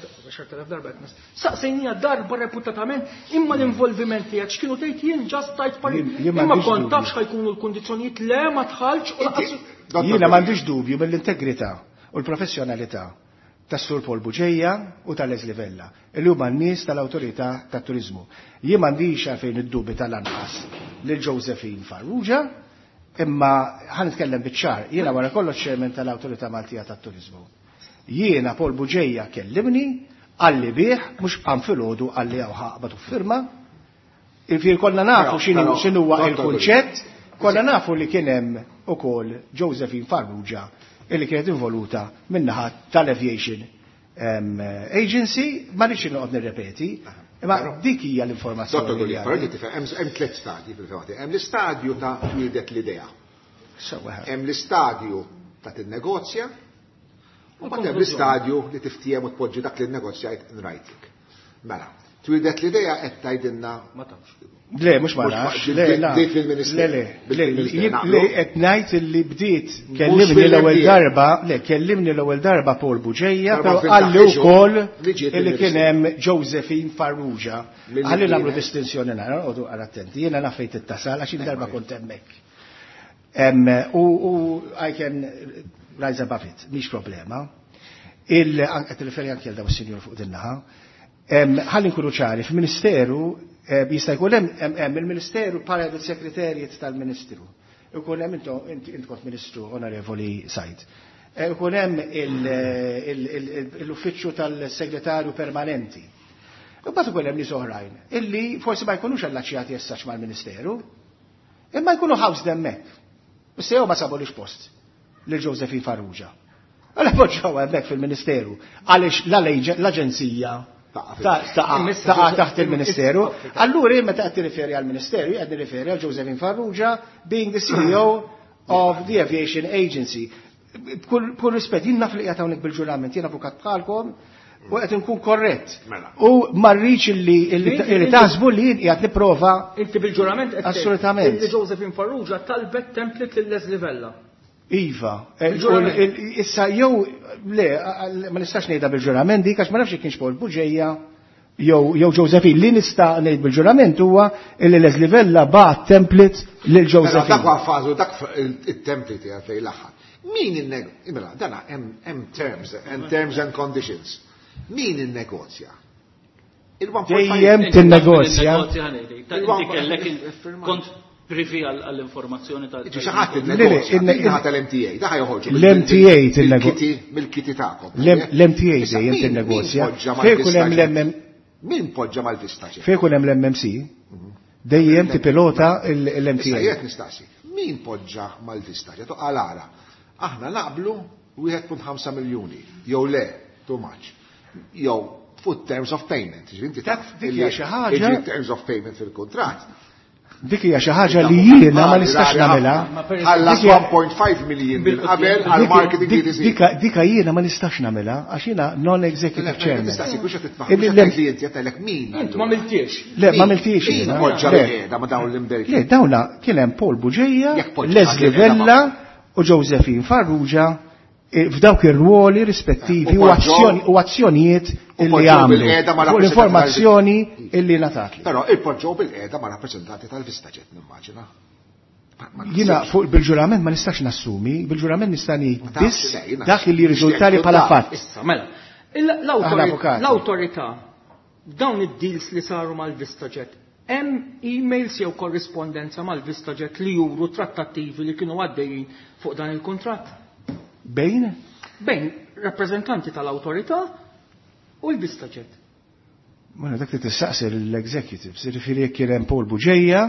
darba qed saqsejnija darba reputatament imma l-involviment tiegħek x'kienu tgħid jien just tajt parir. Imma kont tafx ħajkunu l-kundizzjonijiet le ma tħallx u lanqas. Jiena m'għandix dubju mill-integrità u l-professjonalità tas-Sur Paul Bugeja u tal-Leslie Vella, illi huma n-nies tal-Awtorità tat-Turiżmu. Jien m'għandix għalfejn id-dubi tal-anqas lil Josephine Farrugia, imma ħa nitkellem biċ-ċar, jiena wara kollox chairman tal-Awtorità Maltija tat-Turiżmu. Jiena Paul Bugeja kellimni, qalli bih, mhux qam filgħodu qalli hawn ħaqbad u firma. Infir konna nafu x'inhu huwa il-kunċett, konna nafu li kien hemm ukoll Josephine Farrugia illi kienet involuta min-naħa tal-Aviation Agency, ma rridx noqgħod nirrepeti, imma dik hija l-informazzjoni. Dottor Gulia, però tifhem hemm tliet stadji fil-fatt. Hemm l-istadju ta' twieldet l-idea. Hemm l-istadju ta' tinnegozja, u mbagħad hemm l-istadju li tiftiem u tpoġġi dak li nnegozjajt in writing. Mela, Twieldet l-idea qed tgħidilna Ma tafx. Le, mhux ma nafx. Le, Bdiet fil-Ministeru. Le, le, le, qed ngħid li bdiet kellimni l-ewwel darba, le, kellimni l-ewwel darba Paul Bugeja, però qalli wkoll li kien hemm Josephine Farrugia. Ħalli nagħmlu distinzjoni nara, noqogħdu attenti. Jiena naf fejn tittasal għax darba kont hemmhekk. U I can rise above it, mhix problema. Il qed nirreferi anke għal daw is-sinjur fuq din naħa. Ħalli nkunu ċari, fil-Ministeru jista' jkun hemm il-Ministeru bħala il-Sekretarjat tal-Ministru. Ikun hemm int kont Ministru Onorevoli Said. Ikun hemm l-uffiċċju tal-Segretarju Permanenti. U mbagħad ikun hemm nies oħrajn illi forsi ma jkunux allaċjati essaċ mal-Ministeru, imma jkunu housed hemmhekk. Issa jew ma sabulix post lil Josephine Farrugia. Għalhekk poġġew hemmhekk fil-Ministeru għaliex l-aġenzija taqa' taħt il-Ministeru. Allura meta qed tirriferi għall-Ministeru, qed nirriferi għal Josephine Farrugia being the C E O of the Aviation Agency. B'kull rispett, jien naf li qiegħed hawnhekk bil-ġurament, jien avukat bħalkom u qed inkun korrett. U ma rridx illi taħsbu li jien qiegħed nipprova. Inti bil-ġurament qed Assolutament. Illi Josephine Farrugia talbet template lil Leslie Vella. Iva, issa jew le, ma nistax ngħidha bil-ġurament dik għax ma nafx kienx Paul Bugeja jew jew Josephine. Li nista' ngħid bil-ġurament huwa li Leslie Vella bagħat template lil Josephine. Dak huwa fażu, dak it-template hija fejn l-aħħar. Min in mela, dana hemm terms, hemm terms and conditions. Min innegozja? Dejjem tinnegozja. Inti kellek kont privy għall-informazzjoni ta' Xi ħadd innegozja, ħadd l-M T A, da joħorġu. L-M T A tinnegozja. Mill-kitty tagħkom. L-M T A dejjem tinnegozja. Fejn ikun hemm l-M Min poġġa mal-vista? Fejn ikun hemm l-M M C, dejjem tipilota l-M T A. Issa nistaqsi, min poġġa mal-vista? Għal aħna naqblu wieħed punt ħamsa miljuni, jew le, too much. Jew fuq terms of payment. Ġifieri Dik hija xi ħaġa. Terms of payment fil-kuntratt. Dik hija xi ħaġa li jiena ma nistax nagħmilha. Ħallas one point five million minn qabel għal marketing. Dika dika jiena ma nistax nagħmilha għax jiena non-executive chairman. Nistaqsi biex qed min. Int ma miltiex. Le, ma miltiex. Min poġġa bil-qiegħda ma dawn l-imberki? Le, dawna kien hemm Paul Bugeja, Leslie Vella u Josephine Farrugia f'dawk ir-ruoli rispettivi u azzjonijiet illi għamlu. Fuq l-informazzjoni illi ngħatat. Però il-poġġew bil-qiegħda ma' rappreżentanti tal-VistaJet, nimmaġina. Jiena fuq bil-ġurament ma nistax nassumi, bil-ġurament nista' ngħid biss dak li riżultali bħala fatt. Issa, mela. L-awtorità, dawn id-deals li saru mal-VistaJet, hemm emails jew korrispondenza mal-VistaJet li juru trattattivi li kienu għaddejjin fuq dan il-kuntratt? Bejn? Bejn rappresentanti tal-awtorità u l-VistaJet. Ma dak li tistaqsi l-executives, jiġifieri jekk kien hemm Paul Bugeja,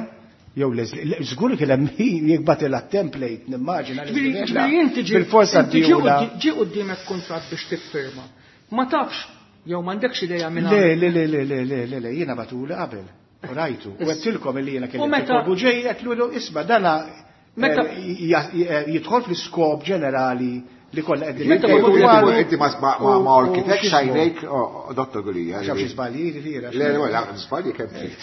jew Leslie, żgur kien hemm jekk bagħtilha template, nimmaġina. Ġifieri inti bil-forsa ġi quddiemek kuntratt biex tiffirma. Ma tafx jew m'għandekx idea minn Le, le, le, le, le, le, le, le, jiena bagħtuli qabel. U rajtu. U għedtilkom illi jiena kien Paul Bugeja, għedtlu isma' dana jidħol fl-iskop ġenerali li kollha qegħdin. Inti ma orkitek xajnejk, Dottor Gulia. Xaf xi żbalji, ġifieri. Le, le, żbalji kemm trid.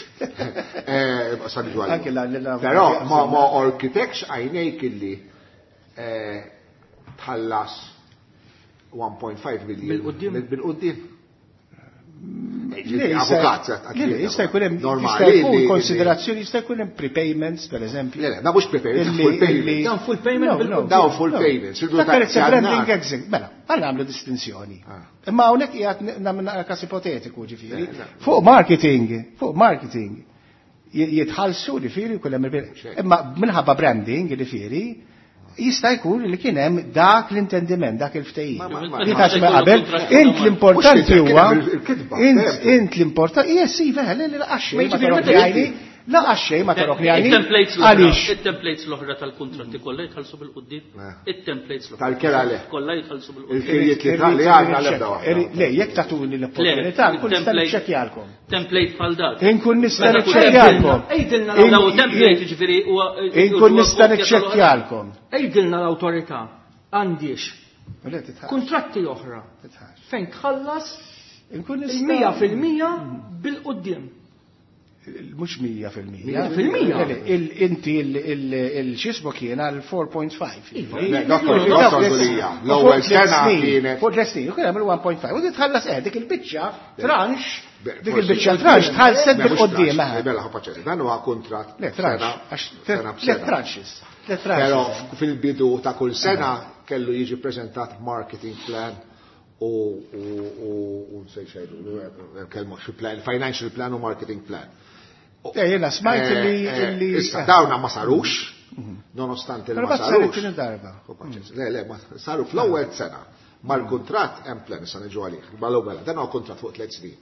Però ma ma orkitek xajnejk illi tħallas one point five billion bil-quddiem. Avukat, jista' jkun hemm jista' jkun konsiderazzjoni, jista' jkun hemm prepayments, per eżempju. Le, da mhux prepayments, full payment. Dawn full payment. Dawn full payments. Dak branding exit. Mela, għal nagħmlu distinzjoni. Imma hawnhekk qiegħed nagħmel każ ipotetiku, ġifieri. Fuq marketing, fuq marketing jitħallsu, ġifieri, kull hemm, imma minħabba branding, ġifieri, jista' jkun li kien hemm dak l-intendiment, dak il-ftehim. Qabel, int l-importanti huwa int l-importanti, yes, iva, le, le, għaxxej, ma torok la għaxxej ma torok li. Għaliex. Il-templates l-oħra tal-kontratti kollha jitħallsu bil-quddiem. Il-templates l-oħra. Tal-kera le. Kollha jitħallsu bil-quddiem. Il-kirjiet li għandna l-ebda waħda. Le, jekk tagħtuni l-opportunità, nkun nista' niċċekkjalkom. Template bħal dak. Inkun nista' niċċekkjalkom. Ejdilna. Daw template ġifieri huwa. Inkun nista' niċċekkjalkom. Ejdilna l-awtorità għandix kontratti oħra fejn tħallas Inkun nista' Il-mija fil-mija bil-quddiem. Mhux mija fil-mija. Mija fil-mija. Le, le, il- Inti il-xismu kien għal four point five. Iva. Le, Dottor Dottor Gulia, l-ewwel sena kienet Fuq tliet snin, kien hemm il one point five. U titħallas eh, dik il-biċċa tranche, Be- dik forsi- il-biċċa tranche tħallset Le, mhux bil-quddiem. tranche, eh. Mela, ħa paċenzja. Dan huwa kuntratt Le, tranche, sena- għax sena tliet b'sena. tranches. Tliet Però tranches. fil-bidu ta' kull sena kellu jiġi prezentat marketing plan u u u u nsejt xejdu, kelmu xi plan, financial plan u marketing plan. Eh, jiena smajt Eh, li- eh, li- Issa, eh. dawna ma sarux, nonostante li Però ma bat saret sarux. tieni darba. U paċenzja. Le, le, ma saru fl-ewwel sena. Mal-kuntratt hemm plan, issa niġu għalih. Mal-ewwel, dan huwa kuntratt fuq tliet snin.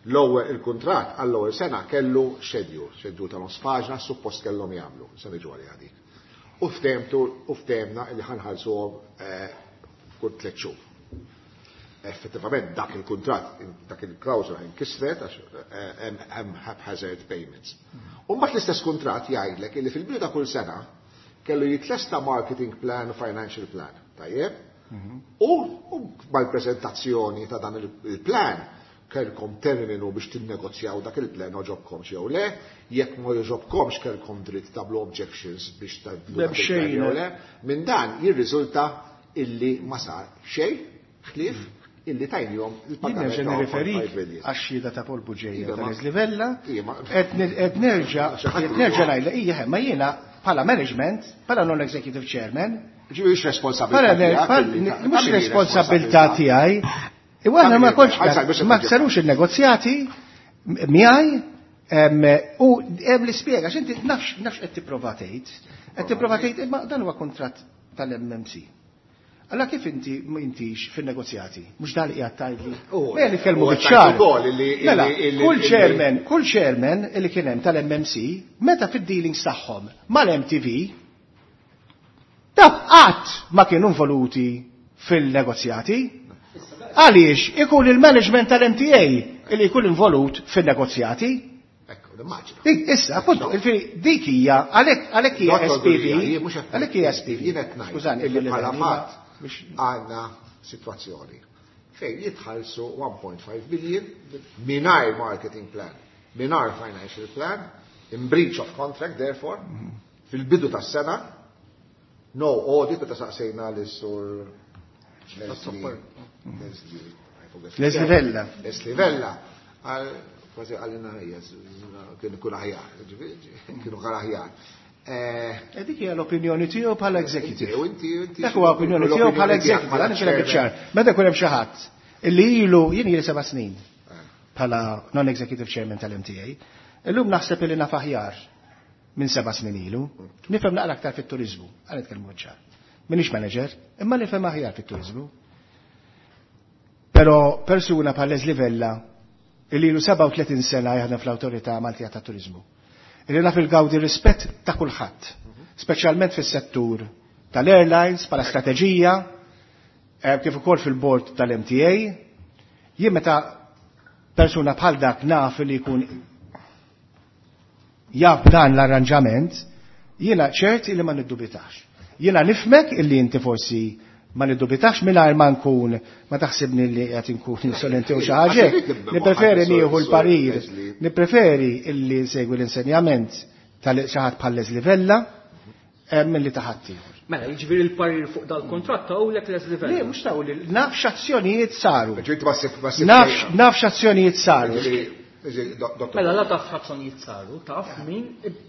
L-ewwel il-kuntratt għall-ewwel sena kellu schedule, schedule ta' nofs paġna suppost kellhom jagħmlu, issa niġu għalih dik. U ftehmtu u ftehmna li ħa nħallsuhom eh, kull tliet xhur. Effettivament dak il-kuntratt, dak il-klawżola inkisret għax eh, hemm hemm haphazard payments. U mbagħad l-istess kuntratt jgħidlek illi fil-bidu ta' kull sena kellu jitlesta marketing plan u financial plan. Tajjeb? U u mal-prezentazzjoni ta' dan il- il-plan kellkom terminu biex tinnegozjaw dak il-plan oġobkomx jew le, jekk ma joġobkomx kellkom dritt tagħmlu objections biex tagħmlu dak M'hemm il-plan xejn. jew le. Minn dan jirriżulta illi ma sar xejn ħlief illi tajnihom Jien il-pagament nerġa' ta' nirreferik one point five billion. għax-xhieda ta' Paul Bugeja Iva, ta' ma- Leslie Vella, Ija, ma- qed ne- qed nerġa' Xi ħadd qed nerġa' ngħidlek, ija, ma jiena bħala management, bħala non-executive chairman, Ġifieri mhux responsabilità Bħala tiegħek bħal- illi ta'- mhux ta' min hi responsabilità tiegħi. Iwa aħna ma kontx Għal biex ma nġib. sarux il-negozjati miegħi em, u hemm li spjega x'inti nafx nafx qed tipprova tgħid. Qed tipprova tgħid imma dan huwa kuntratt tal-M M C. Alla kif inti ma intix fin-negozjati? Mhux dan li qiegħed tgħidli. U- Mela nitkellmu u biċ-ċar. għedt ukoll illi- Mela, illi- kull illi- chairman, kull chairman illi kien hemm tal-M M C meta fid-dealings tagħhom mal-M T V daf qatt ma kienu involuti fil-negozjati. Għaliex ikun il-management tal-M T A illi jkun involut fil-negozjati. Ekku, nimmaġina. Dik, issa, appunto, il-firi, dik hija, għalhekk għalhekk hija Dottor S P V, Gulia, jien mhux qed għalhekk hija S P V. Jien qed ngħid Skużani, illi il-livell, bħala imma fatt biex- għandna sitwazzjoni fejn jitħallsu one point five billion mingħajr marketing plan, mingħajr financial plan, in breach of contract therefore, fil-bidu tas-sena, no audit, meta saqsejna lis-sur Leslie, Leslie, I forget. Leslie Vella. Leslie Vella, għal kważi għalina hija, kienu kun aħjar, kienu kar aħjar. Eh, E dik hija l-opinjoni tiegħu bħala executive. U inti, inti. Dak huwa opinjoni tiegħu bħala executive, għan nixilek iċ-ċar. Meta jkun hemm xi ħadd illi ilu jien ili seba' snin bħala non-executive chairman tal-M T A, illum naħseb illi naf aħjar minn seba' snin ilu. Nifhem naqra aktar fit-turizmu, għal nitkellmu ċar. Minix manager, imma nifhem aħjar fit-turizmu. Però persuna bħal Leslie Vella, illi ilu sebgħa u tletin sena jaħdem fl-Awtorità Maltija ta' Turizmu. Illi naf il-gawdi rispett ta' kulħadd, speċjalment fis-settur tal-airlines, bħala strateġija, eh, kif ukoll fil-board tal-M T A. Jien meta persuna bħal dak naf li jkun jaf dan l-arranġament, jiena ċert illi ma niddubitax. Jiena nifhmek illi inti forsi ma niddubitax mingħajr ma nkun ma taħsibni li qed inkun insolenti u xi ħaġa. Nippreferi nieħu l-parir, nippreferi illi nsegwi l-insenjament tal xi ħadd bħal Leslie Vella eh, milli ta' ħadd ieħor. Mela, jiġifieri l-parir fuq dal-kontratt tawlek Leslie Le, Vella. mhux taw li naf x'azzjonijiet saru. Ġifieri ma ssib- ma ssib- Naf naf x'azzjonijiet saru. Ġifieri, ġifieri, dok- doktor. Mela, la taf x'azzjonijiet saru, taf min,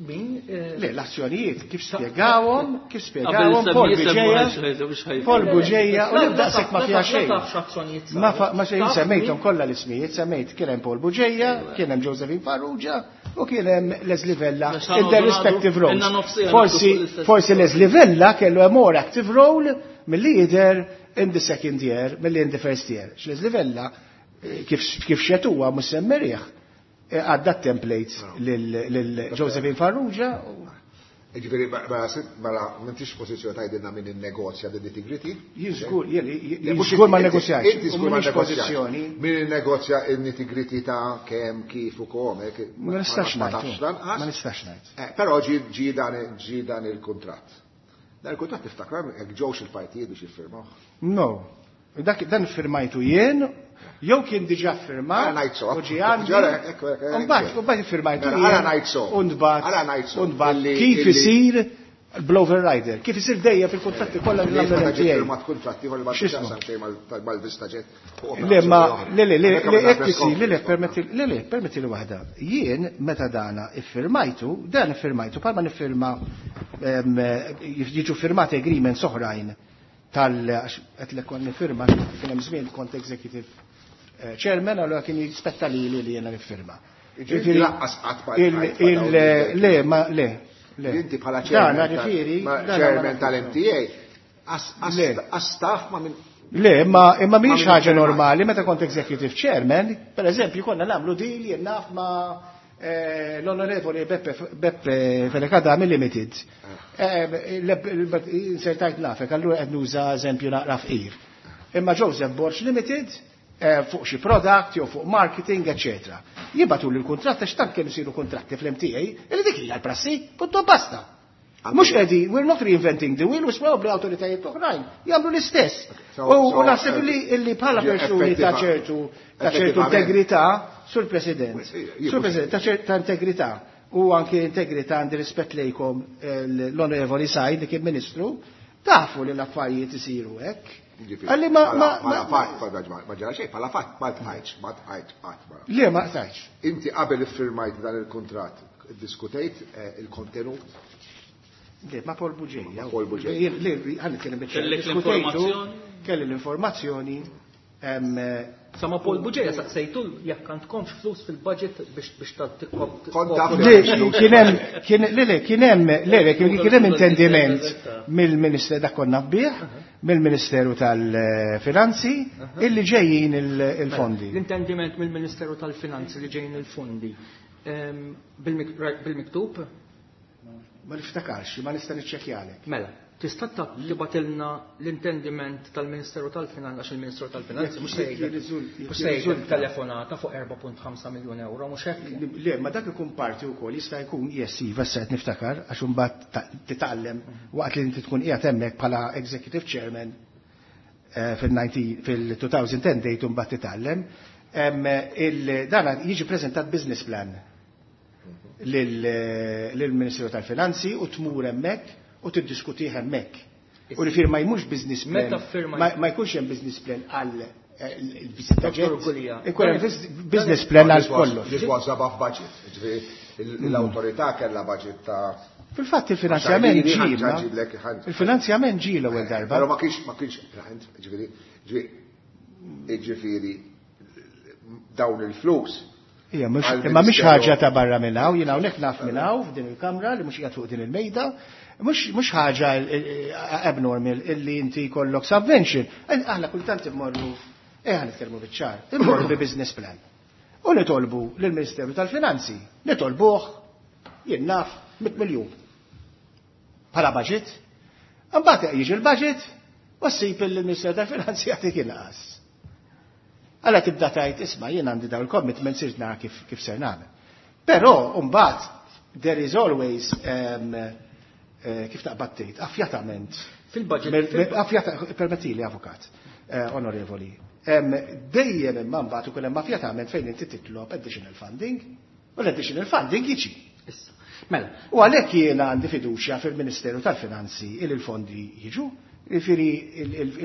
min, eh, Le, l-azzjonijiet kif spjegawhom, kif Qabel spjegawhom Paul semmi Bugeja, Paul Bugeja, u La- nibda la sekk ma taf- fiha la xejn. taf x'azzjonijiet saru. Ma fa- ma xejn Taf semmejthom min- kollha l-ismijiet, semmejt kien hemm Paul Bugeja, kien hemm Josephine Farrugia u kien hemm Leslie Vella Għax in their respective roles. Inna nofsija Forsi nagħdu fuq l-istess forsi Leslie Vella kellu a more active role milli jidher in the second year, milli in the first year. Leslie Vella eh, kif kif xetuwa mhux semmerih għadda templates lil Josephine Farrugia u Ġifieri, mela, mela, m'intix pożizzjoni tgħidilna min innegozja din nitty-gritty? Jien żgur, jien Le, mhux żgur ma inti- negozjax. Inti U żgur ma m'iniex negozjax. pożizzjoni. Min innegozja il-nitty-gritty ta' kemm, kif u kom, eh, Ma nistax ma ngħid. tafx lanqas. Ma nistax ngħid. Eh, Però ġi ġi dan ġi dan il-kuntratt. Dan il-kuntratt tiftakar jekk ġewx il-partijiet biex jiffirmaw. No. Dak dan firmajtu jien Jew kien diġà firmat. U ġie għandi. Mbagħad mbagħad iffirmajtu. Ara ngħid so. U nbagħat kif isir bl-overrider. Kif isir dejjem fil-kuntratti kollha li nagħmlu L M T A. Firmat kuntratti kollha ma tixtaqsam xejn mal-VistaJet. Le ma le le le hekk isir, le le permetti le le permetti li waħda. Jien meta dana iffirmajtu, dan iffirmajtu bħalma niffirma jiġu firmati agreements oħrajn tal qed lek kont nifirma kien hemm żmien kont executive chairman, allura kien jispetta lili li jiena nifirma. Ġifieri laqqas qatt ma le ma le. Inti bħala chairman tal-M T A, għas-staff ma minn. Le, imma imma mhix ħaġa normali meta kont executive chairman, per eżempju konna nagħmlu deal jien naf ma l-onorevoli Beppe Fenech Adami Limited. Insertajt nafek, allura qed nuża eżempju naqra fqir. Imma Joseph Borg Limited fuq xi product jew fuq marketing, eċċetera. Jibgħatu lil kuntratt għax tant kemm isiru kuntratti fl-M T A, illi dik hija l-prassi, punto basta. Mhux qegħdin, we're not reinventing the wheel, u probabbli awtoritajiet oħrajn jagħmlu l-istess. U naħseb illi bħala persuni ta' ċertu ta' ċertu integrità, Sur President, Sur President, ta' ċerta integrità u anke integrità għandi rispett lejkom l-Onorevoli Said li kien Ministru, tafu li l-affarijiet isiru hekk. Għalli ma ma fatt ma ġara xejn, bħala fatt ma tqajtx, ma tqajtx qatt ma. Le ma qtajtx. Inti qabel iffirmajt dan il-kuntratt, iddiskutejt il-kontenut? Le, ma Paul Bugeja. Paul Bugeja. Le, ħa nitkellem biċ-ċar. Kellek l-informazzjoni? Kelli l-informazzjoni. Sa ma Paul Bugeja saqsejtu jekk għandkomx flus fil-budget biex biex Kont tagħti. Le, kien hemm kien le le kien hemm le le kien hemm intendiment mill-Ministeru dak konna bih, mill-Ministeru tal-Finanzi illi ġejjin il-fondi. L-intendiment mill-Ministeru tal-Finanzi li ġejjin il-fondi. Bil-miktub? Ma niftakarx, ma nista' niċċekkjalek. Mela, tista' tibgħatilna l-intendiment tal-Ministeru tal-Finanzi għax il-Ministeru tal-Finanzi mhux se jgħidlek telefonata fuq erba' punt ħamsa miljun euro, mhux hekk? Le, ma dak ikun parti wkoll jista' jkun yes, iva, issa qed niftakar għax imbagħad titgħallem waqt li inti tkun qiegħed hemmhekk bħala executive chairman fil-two thousand ten date imbagħad titgħallem. Dan jiġi preżentat business plan lill-Ministeru tal-Finanzi u tmur hemmhekk u tiddiskutih hemmhekk. U li firma jmux business plan, ma jkunx hemm business plan għal il-VistaJet, ikun hemm business plan għal kollox. This was above budget. Ġifieri l-awtorità kellha budget ta' Fil-fatt il-finanzjament ġie, il-finanzjament ġie l-ewwel darba. Però ma kienx ma kienx ġifieri ġifieri dawn il-flus. Ija, imma mhix ħaġa ta' barra minn hawn, jien hawnhekk naf minn hawn f'din il-kamra li mhux qiegħed fuq din il-mejda, mhux ħaġa abnormal illi inti jkollok subvention. Aħna kultant immorru, eh ħa nitkellmu biċ-ċar, immorru bi business plan. U nitolbu lill-Ministeru tal-Finanzi, nitolbuh jien naf mitt miljun. Bħala budget. Imbagħad jiġi l-budget u ssib il-Ministeru tal-Finanzi jagħtik inqas. Għala tibda tajt, isma' jien għandi dawn il-commitments irrid nara kif, kif ser nagħmel. Però mbagħad there is always um, uh, kif taqbad tgħid, affjatament. Fil-budget, fil- Affjata, permettili avukat, uh, onorevoli. Um, dejjem imma mbagħad ukoll hemm affjatament fejn inti titlob additional funding, u l-additional funding jiġi. Issa. Mela. U għalhekk jiena għandi fiduċja fil-Ministeru tal-Finanzi il il-fondi jiġu, jiġifieri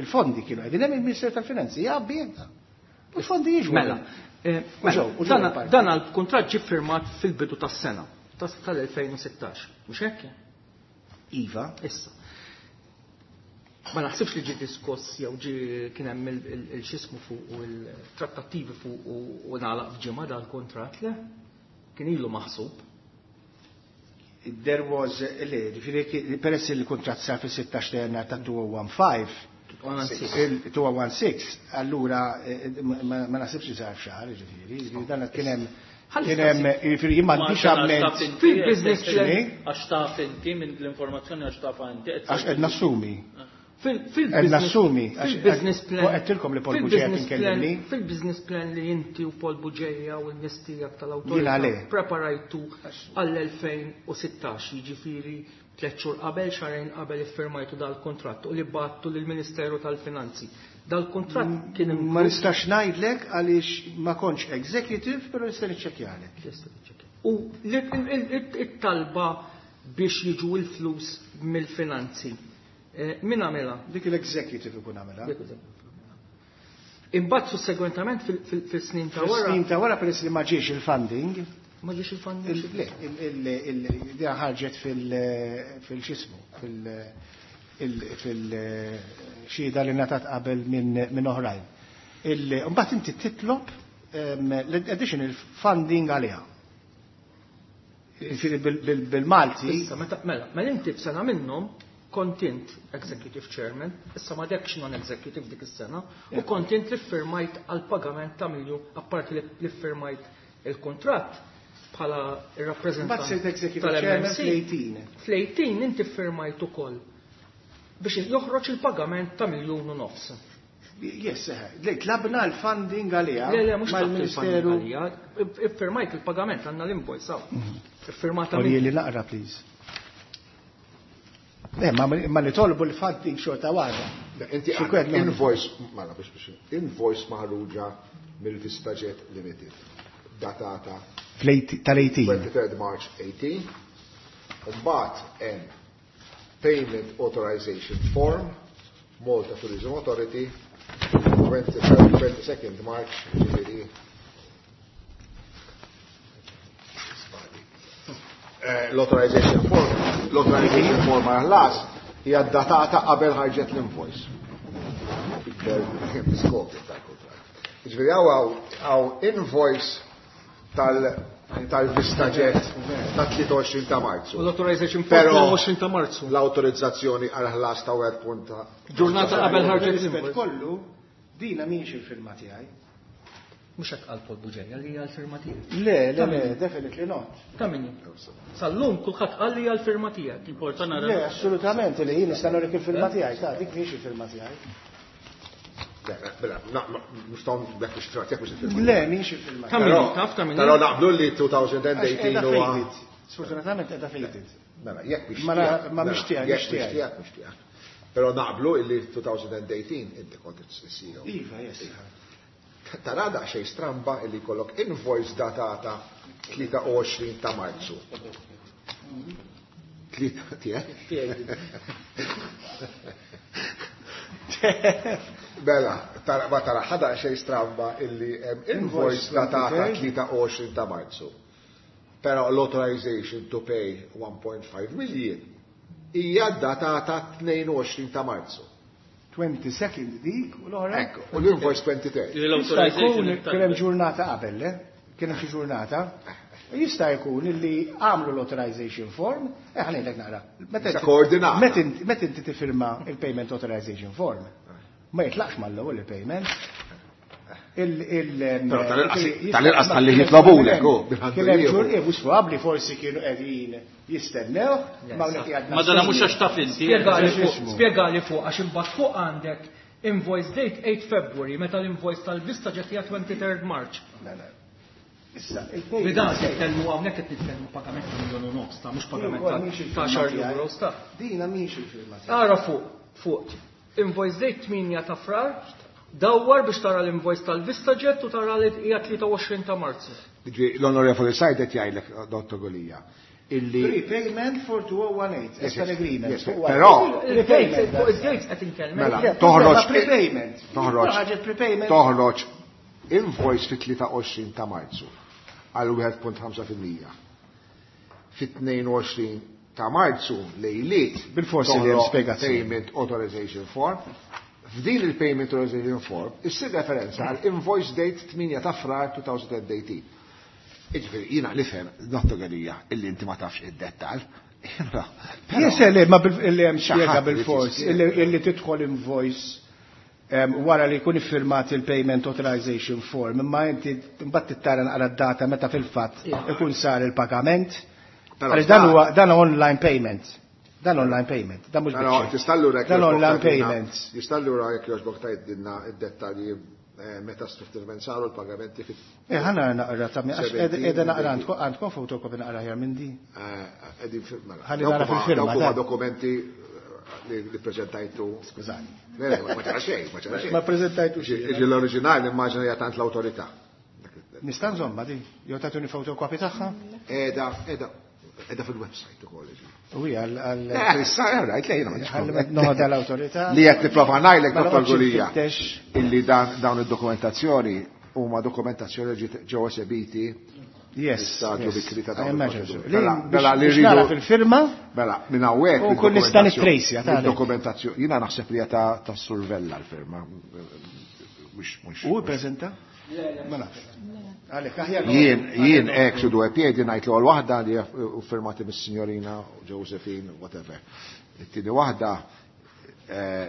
il-fondi kienu qegħdin hemm il-Ministeru tal-Finanzi jgħabbi jenta. U l-fondi jiġu. Mela, eh, U ġew, u ġew dan il-parti. dan għal-kuntratt ġie firmat fil-bidu tas-sena, tal-elfejn u sittax, mhux hekk? Iva. Issa. Ma naħsibx li ġie diskuss jew ġie kien hemm il-xismu fuq u l-trattattivi fuq u nagħlaq f'ġimgħa dal-kuntratt, le? Kien ilu maħsub. There was, le, ġifieri peress li l-kuntratt sar fis-sittax ta' Jannar ta' two oh one five, il two oh one six, allura ma naħsibx li sar f'xahar, ġifieri, ġifieri dan kien hemm kien hemm, ġifieri jien m'għandix amment. Fil-business plan. Għax taf inti minn l-informazzjoni għax taf inti. Għax qed nassumi. Fil-business Qed nassumi, għax fil-business plan. Għedtilkom li Paul Bugeja kien kellimni. Fil-business plan li inti u Paul Bugeja u n-nies tiegħek tal-awtorità Jiena le. preparajtu għall-elfejn u sittax, jiġifieri Tliet xhur qabel, xahrejn qabel iffirmajtu dal-kuntratt u li bgħattu lill-Ministeru tal-Finanzi. Dal-kuntratt kien Ma nistax ngħidlek għaliex ma kontx executive, però nista' niċċekkjalek. U it-talba biex jiġu l-flus mill-finanzi. Min għamilha? Dik l-executive ikun għamilha. Imbagħad sussegwentament fil-snin ta' wara. Fis-snin ta' wara peress li ma ġiex il-funding. Ma ġiex il-funding? Le, il-idea ħarġet fil-xismu, fil-xhieda li ngħatat qabel minn oħrajn. Imbagħad inti titlob l-additional funding għaliha. Bil-Malti. Issa, mela, mela inti f'sena minnhom kont int executive chairman, issa ma dekx non-executive dik is-sena, u kont int li ffirmajt għal pagament ta' miljun, apparti li ffirmajt il-kontratt bħala il-rappresentant tal-M M C. fl-tmintax inti ffirmajt ukoll biex joħroġ il-pagament ta' miljun u nofs. Yes, le, tlabna l-funding għalija. Le, le, mhux mal-Ministeru. Iffirmajt il-pagament, għandna l-invoice. Iffirmata. Li naqra, please. Le, ma nitolbu l-funding xorta waħda. Inti invoice, mela biex biex, invoice maħruġa mill-VistaJet Limited, datata tal-tmintax. twenty-third March eighteen, Mbagħad hemm Payment Authorization Form, Malta Tourism Authority, twenty-second March, ġifieri l-authorization form, l-authorization form għal-ħlas hija datata qabel ħarġet l-invoice. Skop tal-kuntratt. Ġifieri hawn invoice tal-VistaJet ta' tlieta u għoxrin ta' Marzu. U l-authorization form għoxrin ta' Marzu. L-autorizzazzjoni għal-ħlas ta' wieħed punta. Ġurnata qabel ħarġet l-invoice. Kollu, dina mhix il-firma tiegħi. Mhux hekk qal Paul Bugeja li hija l-firma tiegħek. Le, le, le, definitely not. Ta' min? Sal-lum kulħadd qal li hija l-firma tiegħek. Important nara. Le, assolutament li jien nista' norik il-firma tiegħi, ta' dik mhix il-firma tiegħi. Mela, nistgħu bekk biex tiegħek mhux il-firma. Le, mhix il-firma. Ta' min taf ta' min? Però naqblu li twenty eighteen huwa. Sfortunatament qiegħda faded. Mela, jekk mhix Ma mhix tiegħek, mhix tiegħek, mhux tiegħek. Però naqblu illi twenty eighteen inti kont is-C E O. Iva, yes. Tara xejn stramba illi jkollok invoice datata tlieta u għoxrin ta' Marzu. Tlieta tiegħek? Bella, tara ma tara ħada xejn stramba illi hemm invoice datata tlieta u għoxrin ta' Marzu. Però l-authorization to pay one point five million hija datata tnejn u għoxrin ta' Marzu. twenty-second dik u l-oħra. Ekku, u l-invoice twenty-third. Jista' jkun kien hemm ġurnata qabel, le? Kien hemm xi ġurnata. Jista' jkun illi għamlu l-authorization form, eh ħa ngħidlek naqra. Meta koordinata. Meta inti tifirma il-payment authorization form, ma jitlaqx mal-ewwel il-payment. Però tal-inqas tal-li jitlobulek, oh, Kien hemm ġur, eh, mhux probabbli forsi kienu qegħdin jistennew, ma hawnhekk qiegħed Ma dana mhux għax taf inti. Spjegali fuq, għax imbagħad fuq għandek invoice date eight February, meta l-invoice tal-VistaJet hija twenty-third March. Issa, il-payment. Dan nitkellmu hawnhekk qed nitkellmu pagament ta' miljun u nofs ta' mhux pagament ta' xar euros ta' Dina mhix il-firma. Ara fuq, fuq. Invoice date tmienja ta' Frar, dawwar biex tara l-invoice tal-VistaJet u tara li hija tlieta u għoxrin ta' Marzu. L-Onorevoli Said qed jgħidlek, Dottor Gulia, illi Prepayment for two thousand eighteen, that's an agreement. Però Prepayment. Fuq id-dates qed inkellem. Mela, toħroġ prepayment. Toħroġ prepayment. Toħroġ invoice fit-tlieta u għoxrin ta' Marzu għal wieħed punt ħamsa fil-mija. Fit-tnejn u għoxrin ta' Marzu lejliet Bil-forsi li hemm spjegazzjoni. Payment Authorization Form. F'din il-Payment Authorization Form issir referenza għal invoice date tmienja ta' Frar elfejn u tmintax. Iġifieri, jiena nifhem, Dottor Gulia, illi inti ma tafx id-dettal. Yes, le, ma illi hemm spjega bil-fors, illi tidħol invoice wara li jkun iffirmat il-payment authorization form, imma inti mbagħad tittara naqra d-data meta fil-fatt ikun sar il-pagament. Għaliex dan huwa dan online payment. Dan online payment, dan mhux Dan online payment. Tista' allura jekk jogħġbok tgħidilna id-dettalji meta strutturament saru l-pagamenti fit. Eh, ħana naqra ta' għax qiegħda naqra għandkom fotokopi naqra ħjar minn di. Qegħdin mela. Nara fil-firma. Dawk dokumenti li preżentajtu. Skużani. Ma ċara xejn, ma ċara xejn. Ma preżentajtu xejn. Iġi l-oriġinali immaġina hija tant l-awtorità. Nista' nżomma di? Jew tagħtuni fotokopi tagħha? Qiegħda, qiegħda. Edha fil-website ukoll. U hija għal Issa rajt lejna. Noħodha l-awtorità. Li qed nipprova ngħidlek Dottor Gulia illi dawn id-dokumentazzjoni huma dokumentazzjoni li ġew esebiti. Yes. Stadju bikri ta' dawn. Mela li rridu fil-firma. Mela minn hawnhekk. U kun nista' nittrejsja ta' dokumentazzjoni. Jiena naħseb li hija ta' survella l-firma. Mhux U ppreżenta? Ma nafx. Jien, jien ek su due piedi ngħid l-ewwel waħda li firmati mis-signorina Josephine, whatever. It-tieni waħda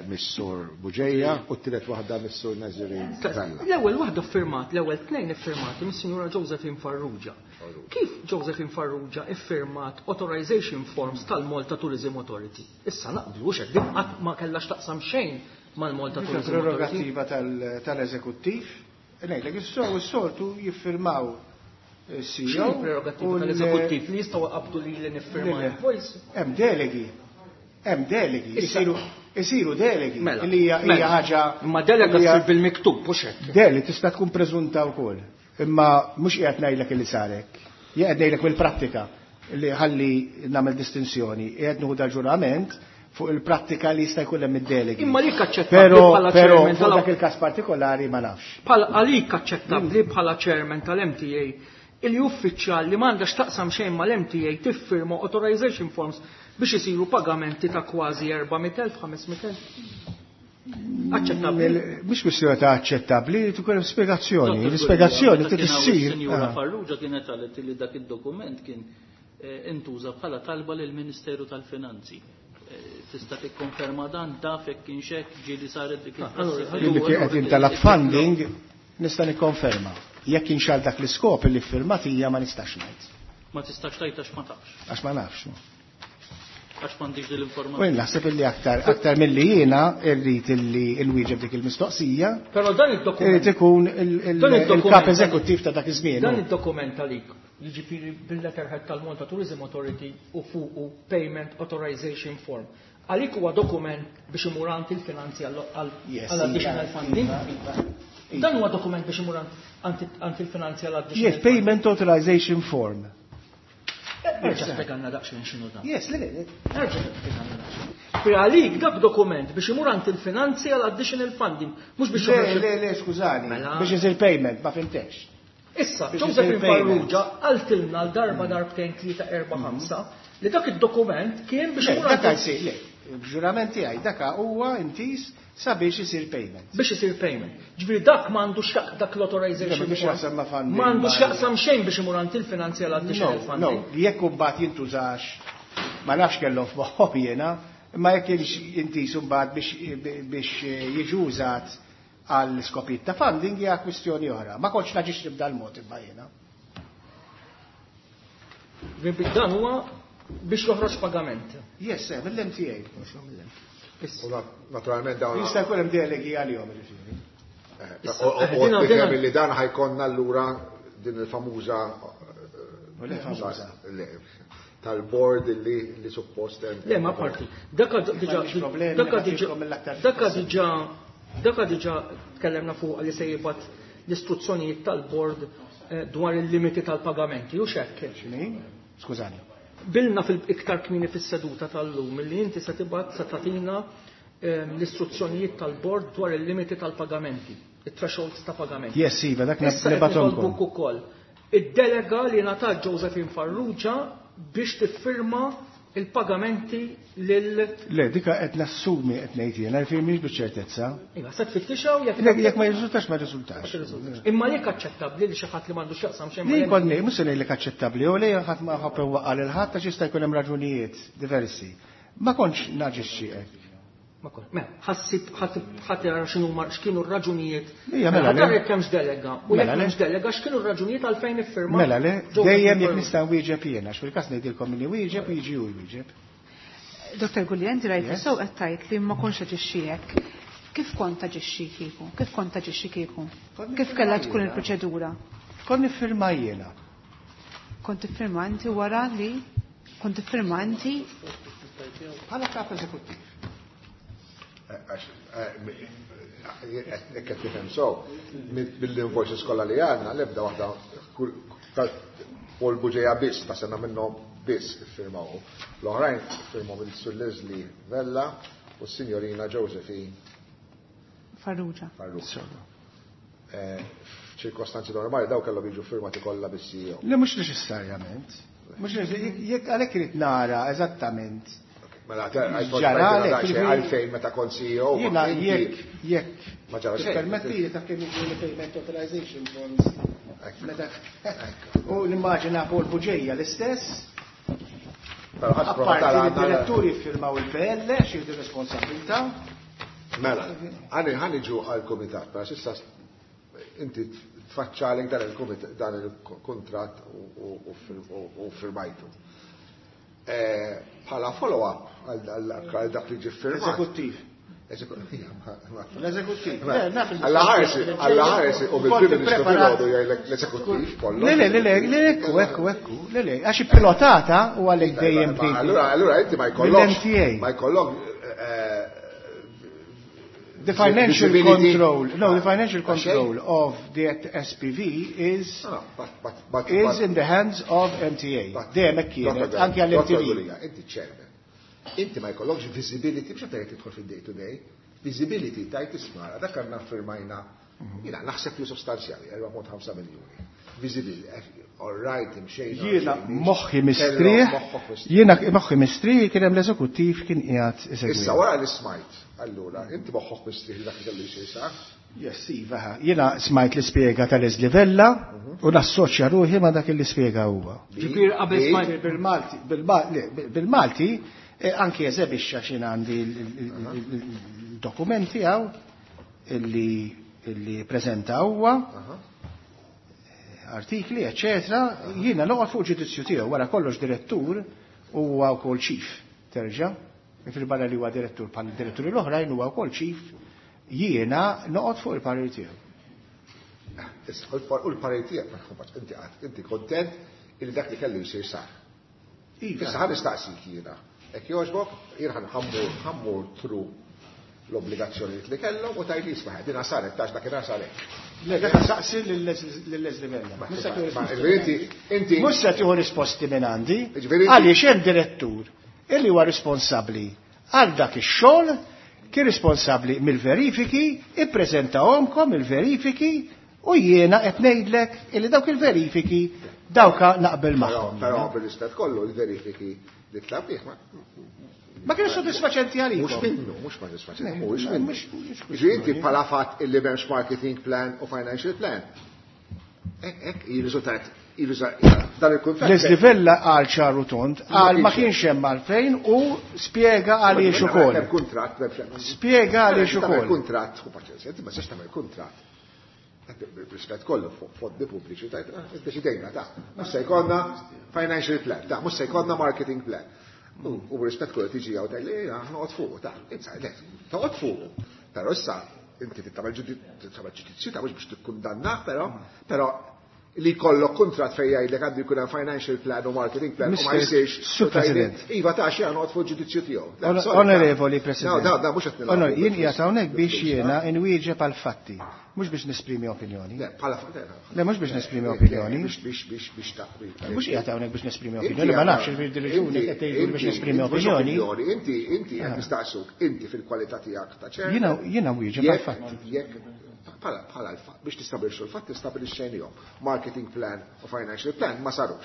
mis-sur Buġeja u t-tielet waħda mis-sur Nazirin Vella. L-ewwel waħda firmat, l-ewwel tnejn iffirmati mis-sinjura Josephine Farrugia. Kif Josephine Farrugia iffirmat authorization forms tal-Malta Tourism Authority? Issa naqblu hekk din qatt ma kellha x'taqsam xejn mal-Malta Tourism Authority. Prerogattiva tal-eżekuttiv. Ngħidlek, is-soltu jiffirmaw C E O. Prerogattiva tal-eżekuttiv li jistgħu qabdu li li niffirma invoice. Hemm delegi. Hemm delegi. Isiru isiru delegi li hija ħaġa. Imma delega ssir bil-miktub mhux hekk. Deli tista' tkun preżunta wkoll. Imma mhux qiegħed ngħidlek li sarek. Jien qed ngħidlek mill-prattika li ħalli nagħmel distinzjoni. Qiegħed nieħu dal-ġurament fuq il-prattika li jista' jkun hemm id-delegi. Imma lik aċċettabbli bħala chairman tal dak il-każ partikolari ma nafx. Bħala għalik aċċettabbli bħala chairman tal-M T A il uffiċjal li m'għandax taqsam xejn mal-M T A tiffirma authorization forms biex isiru pagamenti ta' kważi erba' mitt elf, ħames mitt elf. Aċċettabbli. Mhux kwistjoni ta' aċċettabbli, tkun hemm spjegazzjoni. L-ispjegazzjoni trid issir. Sinjura Farrugia kienet qalet li dak id-dokument kien intuża bħala talba lill-Ministeru tal-Finanzi. Tista' tikkonferma dan taf jekk kienx hekk ġieli saret dik il-prassi. Li qed intalab funding nista' nikkonferma. Jekk kienx għal dak l-iskop li ffirmat hija ma nistax ngħid. Ma tistax tgħid għax ma tafx. Għax ma nafx. Għax m'għandix din l-informazzjoni. U naħseb illi aktar aktar milli jiena rrid illi nwieġeb dik il-mistoqsija. Però dan id-dokument irid ikun il-kap eżekuttiv ta' dak iż-żmien. Dan id-dokument għalik, jiġifieri bil-letterhead tal-Malta Tourism Authority u fuqu Payment Authorization Form. Għalik huwa dokument biex imur għand il-finanzi għal additional funding. Dan huwa dokument biex imur għand il-finanzi għal additional. Yes, Payment Authorization Form. Erġa' spjegalna daqsxejn x'inhu dan. Yes, le le. Erġa' spjegalna daqsxejn. Pri għalik dak dokument biex imur għand il-finanzi għal additional funding, mhux biex Le, le, le, skużani, biex isir payment, ma fimtex. Issa, Josephine Farrugia qaltilna l-darba darbtejn tlieta erba' ħamsa li dak id-dokument kien biex imur għand. Dak jsir, le, b'ġurament tiegħi dak huwa intis sabiex isir payment. Biex isir payment. Ġifieri dak m'għandux dak l-authorization. M'għandux x'jaqsam xejn biex imur għand il-finanzi għal additional funding. No, jekk imbagħad jintużax, ma nafx kellhom f'moħħhom jiena, imma jekk kienx intis imbagħad biex jiġi użat għal skopijiet ta' funding hija kwistjoni oħra. Ma kontx naġixxi b'dal mod imma jiena. Dan huwa biex joħroġ pagament. Yes, mill-M T A. Naturalment dawn. Jista' jkun hemm delegi għalihom jiġifieri. U tifhem li dan ħajkonna allura din il-famuża tal-board li li suppost hemm. Le, ma parti. Dak diġà dak diġà dak diġà dak diġà tkellemna fuq li se jibgħat l-istruzzjonijiet tal-board dwar il-limiti tal-pagamenti u x'hekk. X'inhi? Skużani. Bilna fil-iktar kmini fis-seduta tal-lum li inti se tibgħat se tagħtina l-istruzzjonijiet tal-bord dwar il-limiti tal-pagamenti, it-thresholds ta' pagamenti. Yes, iva, dak nibgħathomkom. Ukoll. Id-delega li ngħatat Josephine Farrugia biex tiffirma il-pagamenti lil Le, dika qed nassumi qed ngħid jiena, jiġifieri mhix biċ-ċertezza. Iva, se tfittixha u jekk jekk ma jirriżultax ma jirriżultax. Imma lek aċċettabbli li xi ħadd li m'għandux x'jaqsam xejn. Li konni, mhux se ngħidlek aċċettabbli, u lejn ħadd ma ħabb waqqa' lil ħadd għax jista' jkun hemm raġunijiet diversi. Ma kontx naġixxi hekk. Ma kont. Mela, ħassib ħadd jara x'inhu x'kienu r-raġunijiet. Mela jekk hemmx delega. U jekk hemmx delega x'kienu r-raġunijiet għalfejn iffirma. Mela le, dejjem jekk nista' nwieġeb jiena, għax fil-każ ngħidilkom minni wieġeb u jiġi hu jwieġeb. Dottor Gulia, inti rajt sew qed tgħid li ma kontx aġixxi hekk. Kif kont taġixxi kieku? Kif kont taġixxi kieku? Kif kellha tkun il-proċedura? Kont niffirma jiena. Kont tiffirma inti wara li kont tiffirma inti bħala kap eżekuttiv. Qed tifhem so, mill-invoices kollha li għandna l-ebda waħda Paul Bugeja biss ta' sena minnhom biss iffirmaw. L-oħrajn iffirmaw il-Sur Leslie Vella u s-Sinjorina Josephine Farrugia. Farrugia. F'ċirkostanzi normali daw kellhom jiġu firmati kollha bis-C E O. Le mhux neċessarjament. Mhux jekk għalhekk irid nara eżattament. Mela għalfejn meta kont C E O. Jiena jekk jekk ma ġara xejn. Permetti li taf kemm jiġu payment authorization forms. U nimmaġina Paul Bugeja l-istess. Apparti li d-diretturi firmaw il-P L għax jieħdu responsabilità. Mela, ħani ġu għal-komitat, pero s'issa inti tfaċċalek dan il-komitat, dan il-kontrat u firmajtu. Bħala follow-up għal dak li ġi firmat. Eżekuttiv. L-eżekuttiv. Alla ħarsi, alla ħarsi, u bil-Prim Ministru filgħodu jgħidlek l-eżekuttiv kollu. Le, le, le, le, ekku, ekku, ekku, le, le, għax pilotata u għalhekk dejjem bdejt. Allura, allura inti ma jkollokx. Ma jkollok The financial control, no, the financial control of the S P V is is in the hands of M T A. Dejjem hekk kienet, anke għall-M T V. Inti chairman. Inti ma jkollokx visibility, biex tgħid tidħol fid-day to day, visibility tajt ismara, dak għandna firmajna, jiena naħseb li sostanzjali, erba' punt ħamsa miljuni. Visibility, all right, imxejna. Jiena moħħi mistrieħ, jiena moħħi mistrieħ kien hemm l-eżekuttiv kien qiegħed isegwi. Issa wara li smajt, allura, inti moħħok mistrieħ dak li kellu jsir sa? Yes, iva, jiena smajt l-ispjega ta' Leslie Vella u nassoċja ruħi ma' dak li spjega huwa. Ġifieri qabel smajt bil-Malti, bil-Malti, anki eżebixxa x'in għandi l-dokumenti hawn illi preżenta huwa, artikli, eccetera, jiena noqgħod fuq ġudizzju tiegħu wara kollox direttur huwa wkoll chief, terġa', fil-barra li huwa direttur bħal diretturi l-oħrajn huwa wkoll chief, jiena noqgħod fuq il-parir tiegħu. Issa, u l-parir tiegħek, ma nħobbx, inti qatt, inti kontent illi dak li kellu jsir sar. Iva. Issa ħa nistaqsik jiena. Hekk jogħġbok, jien ħa nħammur, ħammur tru l-obbligazzjonijiet li kellhom u tgħid isma' dinha saret tax dakinhar saret. Le, dak saqsi lil Leslie Vella. Ma Mhux se tieħu ma risposti. inti, inti Mhux se tieħu risposti minn għandi, Jiġifieri inti għaliex hemm direttur illi huwa responsabbli għal dak ix-xogħol, kien responsabbli mill-verifiki, ippreżentahomkom il-verifiki u jiena qed ngħidlek illi dawk il-verifiki dawka naqbel Però, magħhom. però bil-istat kollu il-verifiki li tlabih ma Ma kienu soddisfaċenti għalikom. Mhux minnu, mhux ma soddisfaċenti, Le, mhux ma minnu. mhux, mhux Jiġifieri inti bħala fatt illi m'hemmx marketing plan u financial plan. Hekk, hekk, jirriżultat, jirriżultat, dan il-kuntratt. Leslie Vella qal ċaru tond, qal ma kienx kienx hemm għalfejn u spjega għaliex Ma ukoll. hemm kuntratt, m'hemmx hemm. Spjega għaliex Tagħmel ukoll. kuntratt, u paċenzja, inti ma tistax tagħmel kuntratt. Rispett kollu fuq fondi pubbliċi tajt, ah, iddeċidejna ta' mhux se jkollna financial plan, ta' mhux se jkollna marketing plan. U, u rispett kollu tiġi hawn tgħid li noqgħod fuq, ta' insa, le, toqgħod fuq. Però issa inti tagħmel ġudizzju ta' mhux biex tikkundanna, però, però li jkollok kuntratt fejn jgħidlek għandu jkun hemm financial plan u marketing plan u ma Mister jsirx. Sur President. Iva ta' xi noqgħod fuq ġudizzju tiegħu. Le, Ono-, sorry, ta' Onorevoli President. No, da, da, mhux qed nilagħbu Onor-, jien bil-flus. qiegħed hawnhekk biex Bil-flus, jiena ta' inwieġeb għal fatti, mhux biex nesprimi opinjoni. Le, bħala fa-, le, le, Le, mhux biex nesprimi le, le, opinjoni. biex, biex, biex, biex ta', biex, Mhux qiegħed hawnhekk biex nesprimi Inti opinjoni, ma għandha- nafx il-raġuni inti- qed tgħidu biex inti- nesprimi inti mhux opinjoni. opinjoni, inti, inti qed Ah. nistaqsuk, inti fil-kwalità tiegħek ta' ċerta. Jiena, jiena wieġeb għal Jekk- fatti. jekk bħala, bħala l-fatt, biex tistabilixxu l-fatt, tistabilixxejnihom. Marketing plan u financial plan ma sarux.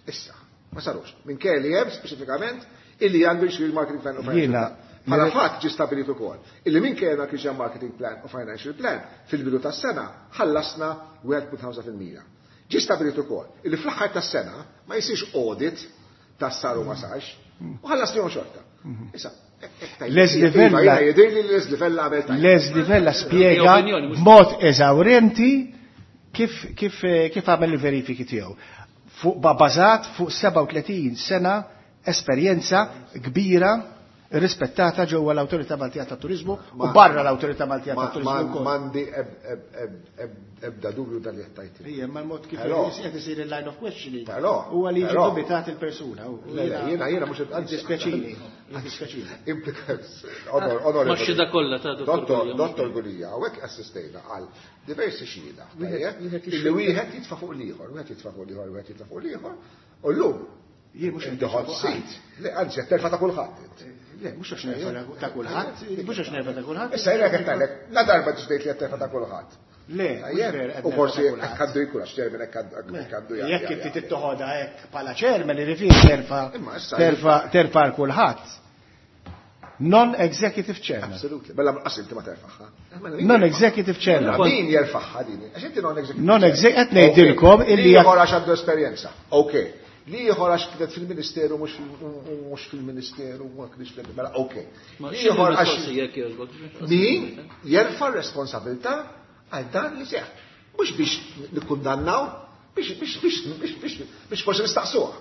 Issa, ma sarux. Minn kelli hemm speċifikament illi għandu jsir marketing plan u financial Jiena plan. Bħala Jiena fatt ġi stabilit ukoll illi minn kellna kien hemm marketing plan u financial plan fil-bidu tas-sena ħallasna wieħed punt ħamsa fil-mija. Ġi stabilit ukoll illi fl-aħħar tas-sena ma jsirx audit tas saru ma sarx u ħallasnihom xorta. Issa, Leslie Vella Iva, jidher li Leslie Vella għamel tajjeb. Leslie Vella spjega Opinjoni, mhux b'mod eżawrenti kif, kif, kif għamel il-verifiki tiegħu. Fuq ba-, bażat fuq sebgħa u tletin sena esperjenza kbira Rispettata ġewwa l-Awtorità Maltija tat-Turiżmu u barra l-Awtorità Maltija tat-Turiżmu. M'għandi ebda dubju dan li qed tgħid. Ija, ma l-mod kif qed isir il-line of questioning. Huwa li jiġi dubitat il-persuna. Jiena jiena mhux dispjaċini. Dispjaċini. Ma xhieda kollha ta' Dottor Dottor Gulia, hawnhekk assistejna għal diversi xhieda. Illi wieħed jitfa' fuq l-ieħor, wieħed jitfa' fuq l-ieħor, wieħed jitfa' fuq l-ieħor, u llum Jien mhux inti hot seat. Le, anzi, qed terfa' ta' kulħadd. Le, mhux għax nerfa' ta' kulħadd, mhux għax nerfa' ta' kulħadd. Issa jiena qed ngħidlek, la darba ġdejt li qed terfa' ta' kulħadd. Le, u forsi hekk għandu jkun għax chairman hekk għandu jgħid. Jekk inti tittoħodha hekk bħala chairman irrifiri terfa' terfa' terfa' għal kulħadd. Non-executive chairman. Absolutely. Mela qas inti ma terfaħha. Non-executive chairman. Min jerfaħha din? Għax inti non-executive. Non-executive qed ngħidilkom illi ieħor għax għandu esperjenza. Okay. Li ieħor għax kienet fil-Ministeru mhux fil-Ministeru ma kienx fil mela okay. Li ieħor għax min jerfa' r-responsabilità għal dan li seħħ. Mhux biex nikkundannaw, biex biex biex biex biex forsi nistaqsuha.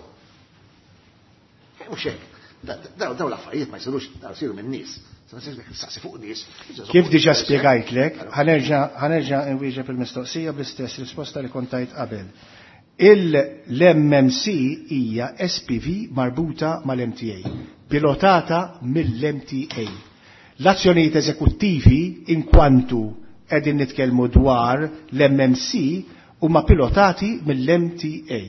Mhux hekk. Daw l-affarijiet ma jsirux, daw jsiru minn nies. Saqsi fuq nies. Kif diġà spjegajtlek, ħanerġa' nwieġeb il-mistoqsija bl-istess risposta li kont tajt qabel. Il-M M C hija S P V marbuta mal-M T A, pilotata mill-M T A. L-azzjonijiet eżekuttivi inkwantu qegħdin nitkellmu dwar l-M M C huma pilotati mill-M T A.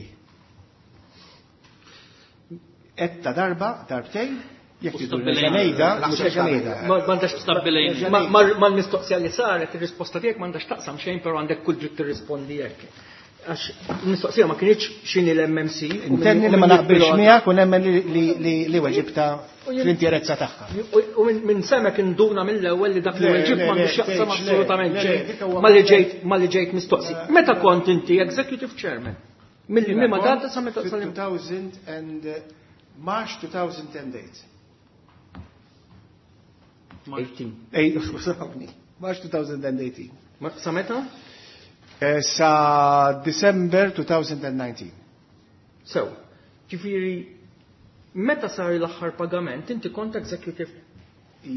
Etta darba, darbtejn, jekk tridu nerġa' ngħidha, nerġa' ngħidha. M'għandax stabbilejn. Mal-mistoqsija li saret, ir-risposta tiegħek m'għandax taqsam xejn, però għandek kull dritt tirrispondi hekk. Għax il-mistoqsija ma kienx x'inhi l-M M C. Intenni li ma naqbilx miegħek u nemmen li weġibta fl-interezza tagħha. U minn semek induna mill-ewwel li dak li weġib m'għandux x'jaqsam assolutament xejn ma li ġejt mistoqsi. Meta kont inti executive chairman? Mill ma data sa meta two thousand and March two thousand and eight. eighteen. March two thousand and eighteen. Sa meta? Sa December two thousand and nineteen. So, ġifieri, meta sar l-aħħar pagament, inti kont executive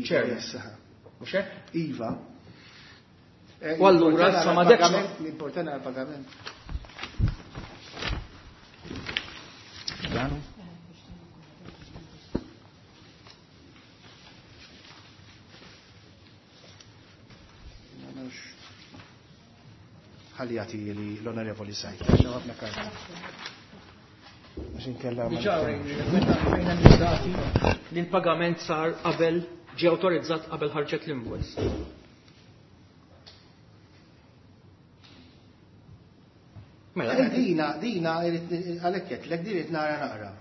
chairman. Mhux hekk? Iva. U allura sa ma dekx. L-importanti għal-pagament. Ħalli jagħti li l-Onorevoli Sajt. Ħafna karta. Għax inkella ma Diġà rejna l-dati li l-pagament sar qabel ġie awtorizzat qabel ħarġet l-invoice. Mela dina dina għalhekk qedlek din irid nara naqra.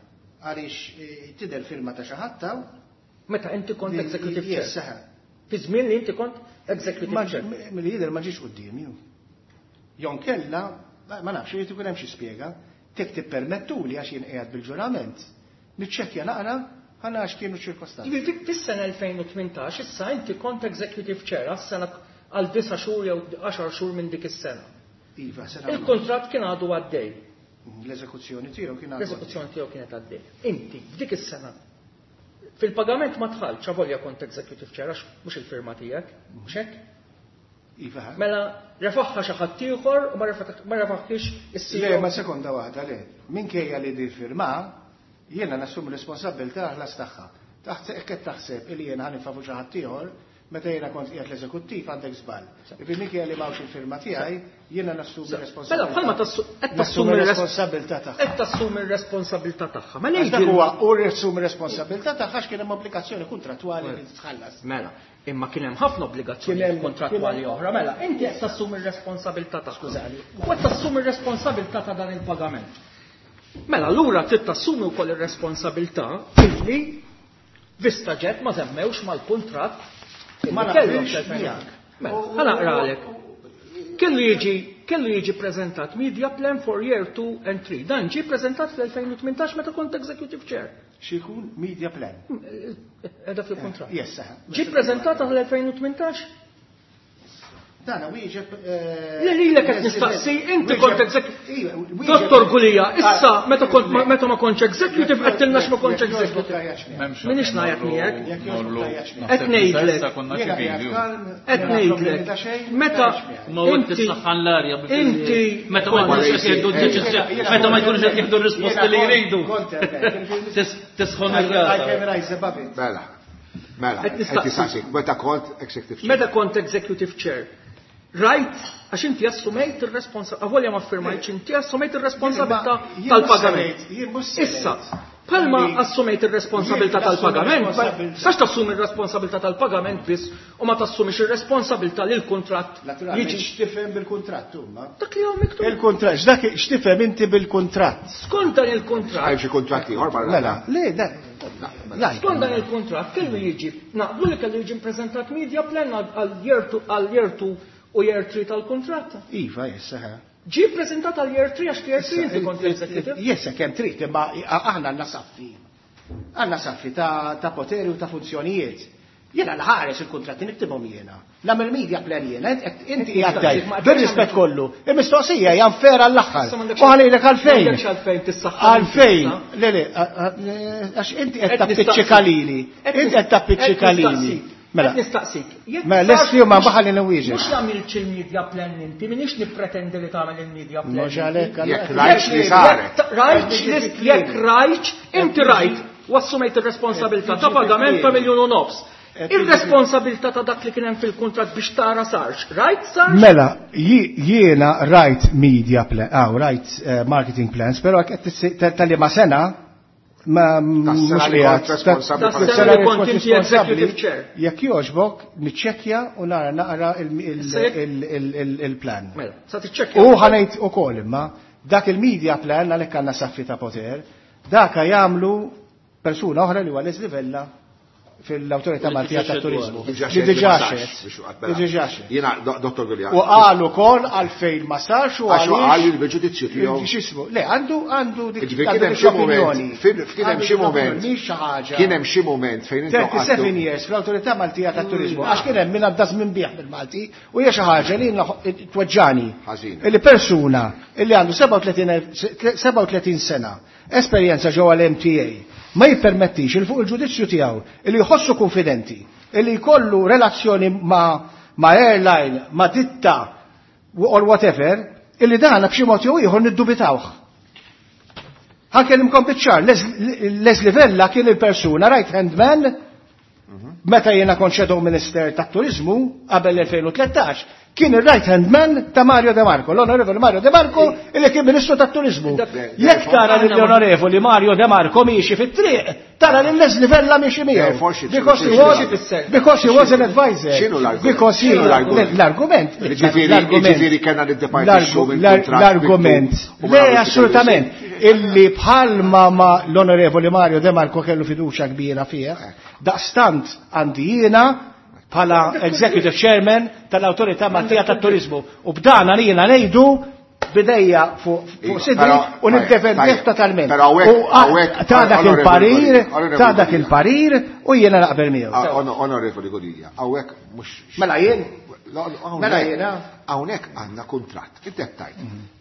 Għaliex tidher firma ta' xi ħadd taw. Meta inti kont executive chair. Fi żmien li inti kont executive chair. Milli jidher ma ġiex quddiemi. Jon kella, ma nafx, irid ikun hemm xi spjega, tek tippermettuli għax jien qiegħed bil-ġurament, niċċekkja naqra ħana għax kienu ċirkostanzi. Jiġifieri fis-sena elfejn u tmintax issa inti kont executive chair għas-sena għal disa' xhur jew għaxar xhur minn dik is-sena. Iva, sena. Il-kuntratt kien għadu għaddej. L-eżekuzzjoni tiegħu kien għadu. L-eżekuzzjoni tiegħu kienet għaddej. Inti f'dik is-sena fil-pagament ma tħallx avolja kont executive chair għax mhux il-firma tiegħek, mhux hekk? Iva. Mela refaħħa xi ħadd ieħor u ma refaħħiex is-C E O. Le, ma sekonda waħda le. Minkejja li di firma, jiena nassum responsabilità ħlas tagħha. Taħt hekk qed taħseb illi jiena ħanifafu xi ħadd ieħor, meta jiena kont qiegħed l-eżekuttiv għandek żball. Ifi minkejja li m'hawnx il-firma tiegħi, jiena nassumi responsabilità. Mela bħalma qed tassumi r-responsabilità tagħha. Qed tassumi r-responsabilità tagħha. Mela dak huwa u ressumi responsabilità tagħha għax kien hemm obbligazzjoni kuntrattwali li titħallas. Mela, imma kien hemm ħafna obbligazzjoni kontrattwali oħra. Mela, inti qed tassumi r-responsabilità tagħha. Skużani. U qed tassumi r-responsabilità ta' dan il-pagament. Mela, allura trid tassumi wkoll ir-responsabilità illi Vista Jet ma żemmewx mal-kuntratt Ma kellhom naqbilx miegħek. Mela, ħa naqralek. Kellu jiġi, kellu jiġi preżentat media plan for year two and three. Dan ġie preżentat fl-elfejn u tmintax meta kont executive chair. Xi jkun media plan? Edha fil-kuntratt. Yes, saħ. Ġie preżentata fl-elfejn u tmintax? Dana wieġeb. Le lilek qed nistaqsi, inti kont executive. Dottor Gulia, issa meta kont meta ma kontx executive qed tilna ma kontx executive. Minix ngħajjat miegħek. Qed ngħidlek. Qed ngħidlek. Meta Ma u inti saħħan l-arja. Inti meta ma jkunux qed jieħdu d-deċiżjoni, meta ma jkunux qed jieħdu r-risposti li jridu. Tisħon ir-rasa. Mela. Mela, qed nistaqsik, meta kont executive chair. Meta kont executive chair. Rajt, għax inti assumejt ir-responsabilità, avolja ma firmajtx, inti assumejt ir-responsabilità tal-pagament. Issa, palma assumejt ir-responsabilità tal-pagament, sax tassumi ir-responsabilità tal-pagament biss u ma tassumix ir-responsabilità li l-kuntratt jiġi. X'tifhem bil-kuntratt huma? Dak li hawn miktub. Il-kuntratt, x'dak x'tifhem inti bil-kuntratt? Skont dan il-kuntratt. Hemm xi kuntratt ieħor barra. Mela, le, da. Skont dan il-kuntratt kellu jiġi, naqblu li kellu jiġi ppreżentat media plan għal year two u year three tal-kuntratt. Iva, jessa. Ġi prezentat għal year three għax year three inti kont executive. Jessa kemm trid, imma aħna għandna saffi. Għandna saffi ta' poteri u ta' funzjonijiet. Jiena l-ħares il-kuntratti niktibhom jiena. Nagħmel media plan jiena, inti qiegħed bir-rispett kollu. Il-mistoqsija hija nfera l-aħħar. U ħalejlek għalfejn. Għalfejn. Le le, għax inti qed tappiċċika lili. Inti qed tappiċċika lili. Mela, nistaqsik. Mela, lesti ma baħal li nwieġeb. Mhux għamilx il-media plan inti, minix nippretendi li tagħmel il-media plan. Mhux għalhekk. Jekk rajtx li saret. Rajtx jekk rajtx, inti rajt u assumejt ir-responsabilità ta' pagament ta' miljun u nofs. Ir-responsabilità ta' dak li kien hemm fil-kuntratt biex tara sarx. Rajt sarx? Mela, jiena rajt media plan, aw rajt marketing plans, però tal-li ma sena ma mhux qiegħed responsabbli kont inti executive chair. Jekk jogħġbok niċċekkja u nara naqra il-plan. Mela, sa tiċċekkja. U ħanejt ukoll imma dak il-media plan għalhekk għandna saffi ta' poter, daka jagħmlu persuna oħra li huwa Leslie Vella fil-Awtorità Maltija tat-Turiżmu. Li diġà xed. Li diġà xed. Jiena Dottor Gulia. U qal ukoll għalfejn ma sarx u għax qal il-ġudizzju tiegħu. X'ismu? Le, għandu għandu dik kien hemm xi mument, kien hemm xi mument. Kien hemm xi mument fejn inti thirty-seven years fl-Awtorità Maltija tat-Turiżmu għax kien hemm min għadda żmien bih bil-Malti u hija xi ħaġa li tweġġani. Illi persuna illi għandu sebgħa u tletin sena esperjenza ġewwa l-M T A ma jippermettix il fuq il-ġudizzju tiegħu illi jħossu konfidenti, illi jkollu relazzjoni ma, ma airline, ma ditta or whatever, illi dana b'xi mod jew ieħor niddubitawh. Ħankellimkom biċ-ċar, Leslie Vella kien il-persuna right hand man meta jiena kont shadow minister tat-turiżmu qabel elfejn u tlettax, kien il-right hand man ta' Mario De Marco, l-onorevoli Mario De Marco, illi kien ministru tat-turiżmu. Jekk tara lill-onorevoli Mario De Marco miexi fit-triq, tara lil Leslie Vella miexi miegħu. Because he was because he was an advisor. Because he l-argument. Ġifieri kellna niddepartixxu mill-kuntratt. L-argument. Le, assolutament. Illi bħalma ma l-onorevoli Mario De Marco kellu fiduċja kbira fih, daqstant għandi jiena bħala executive chairman tal-Awtorità Maltija tat-Turiżmu. U b'dana li jiena ngħidu bidejja fuq sidri u niddefendih totalment. U ta' dak il-parir, ta' dak il-parir u jiena naqbel miegħu. Onorevoli Gulia, hawnhekk mhux. Mela jien? Mela jiena? Hawnhekk għandna kuntratt, inti qed tgħid.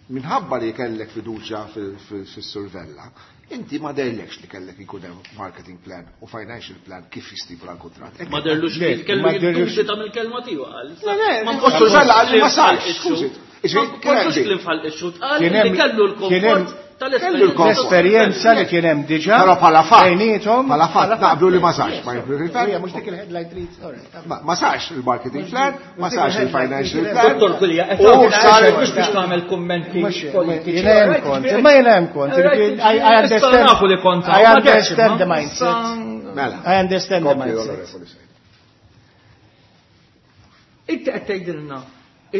Minħabba li kellek fiduċja fis-Sur Vella, inti ma derlekx li kellek ikun hemm marketing plan u financial plan kif jistipula l-kuntratt. Ma derlux li kellu jiddubita mill-kelma tiegħu qal. Ma Sur Vella qal li ma sarx, skużi. Ma kontux li nfal ix-xut qal li kellu l-komfort tal-esperjenza. L-esperjenza li kien hemm diġà. Però bħala fatt, bħala fatt naqblu li ma sarx. Mhux dik il-headline trid. Ma sarx il-marketing plan, ma sarx il-financial plan. Dottor Gulia, qed sar mhux biex tagħmel kummenti politiċi. Jiena hemm kont, imma jiena hemm kont. I understand. I understand the mindset. Mela. I understand the mindset. Inti qed tgħidilna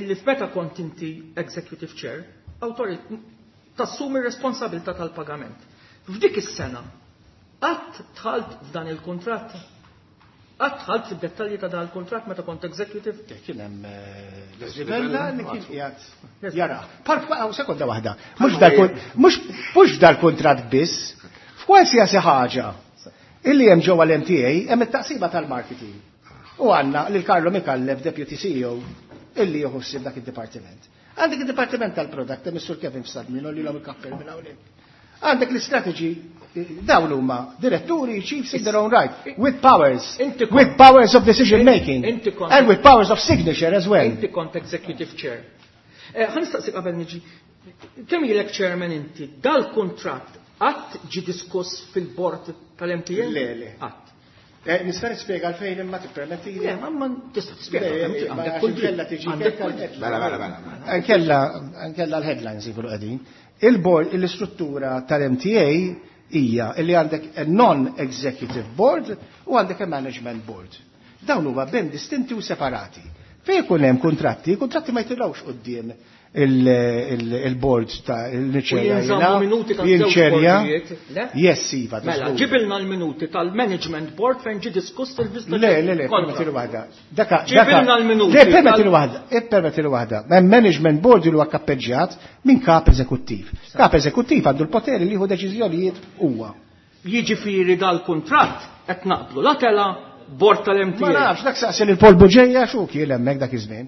illi f'meta kont inti executive chair, tassumi r-responsabilità tal-pagament. F'dik is-sena, qatt dħalt f'dan il-kuntratt? Qatt dħalt fid-dettalji ta' dan il-kuntratt meta kont executive? Kien hemm Leslie Vella li kien qiegħed jara. Park sekonda waħda. Mhux mhux dal-kuntratt biss, f'kwalsiasi ħaġa illi hemm ġewwa l-M T A hemm it-taqsima tal-marketing. U għandna lil Carlo Micallef, Deputy C E O, illi jieħu ħsieb dak id-dipartiment. Għandek id-dipartiment tal-product, hemm is-Sur Kevin Fsadmin, li l il-kappell minn hawnhekk. Għandek l-istrategy, dawn huma diretturi, chiefs in their own right, with powers, with powers of decision making, and with powers of signature as well. Inti kont executive chair. Ħa nistaqsik qabel niġi, kemm ilek chairman inti, dal-kuntratt qatt ġi diskuss fil-board tal-M T A? Le, le. Qatt. Nista' nispjega għalfejn imma tippermetti? Le, ma tista' tispjega. Għandek kull kella tiġi. Mela, mela, mela. Kella, kella l-headlines jkunu qegħdin. Il-board, l-istruttura tal-M T A hija li għandek a non-executive board u għandek a management board. Dawn huma ben distinti u separati. Fejn ikun hemm kontratti, kontratti ma jitilgħux quddiem il-board ta' il-niċerja. Jinżammu minuti ta' żewġ bordijiet, le? Yes, iva. Mela, ġibilna l-minuti tal-management board fejn ġi diskuss il-Vista. Le, le, le, permetti waħda. Daka, Ġibilna l-minuti. Le, permetti waħda, permetti waħda. Management board li huwa kappeġġjat minn kap eżekuttiv. Kap eżekuttiv għandu l-poteri li jieħu deċiżjonijiet huwa. Jiġifieri dal-kuntratt qed naqblu la tela board tal-M T A. Ma nafx, dak saqsi lil Paul Bugeja xu kien hemmhekk dak iż-żmien.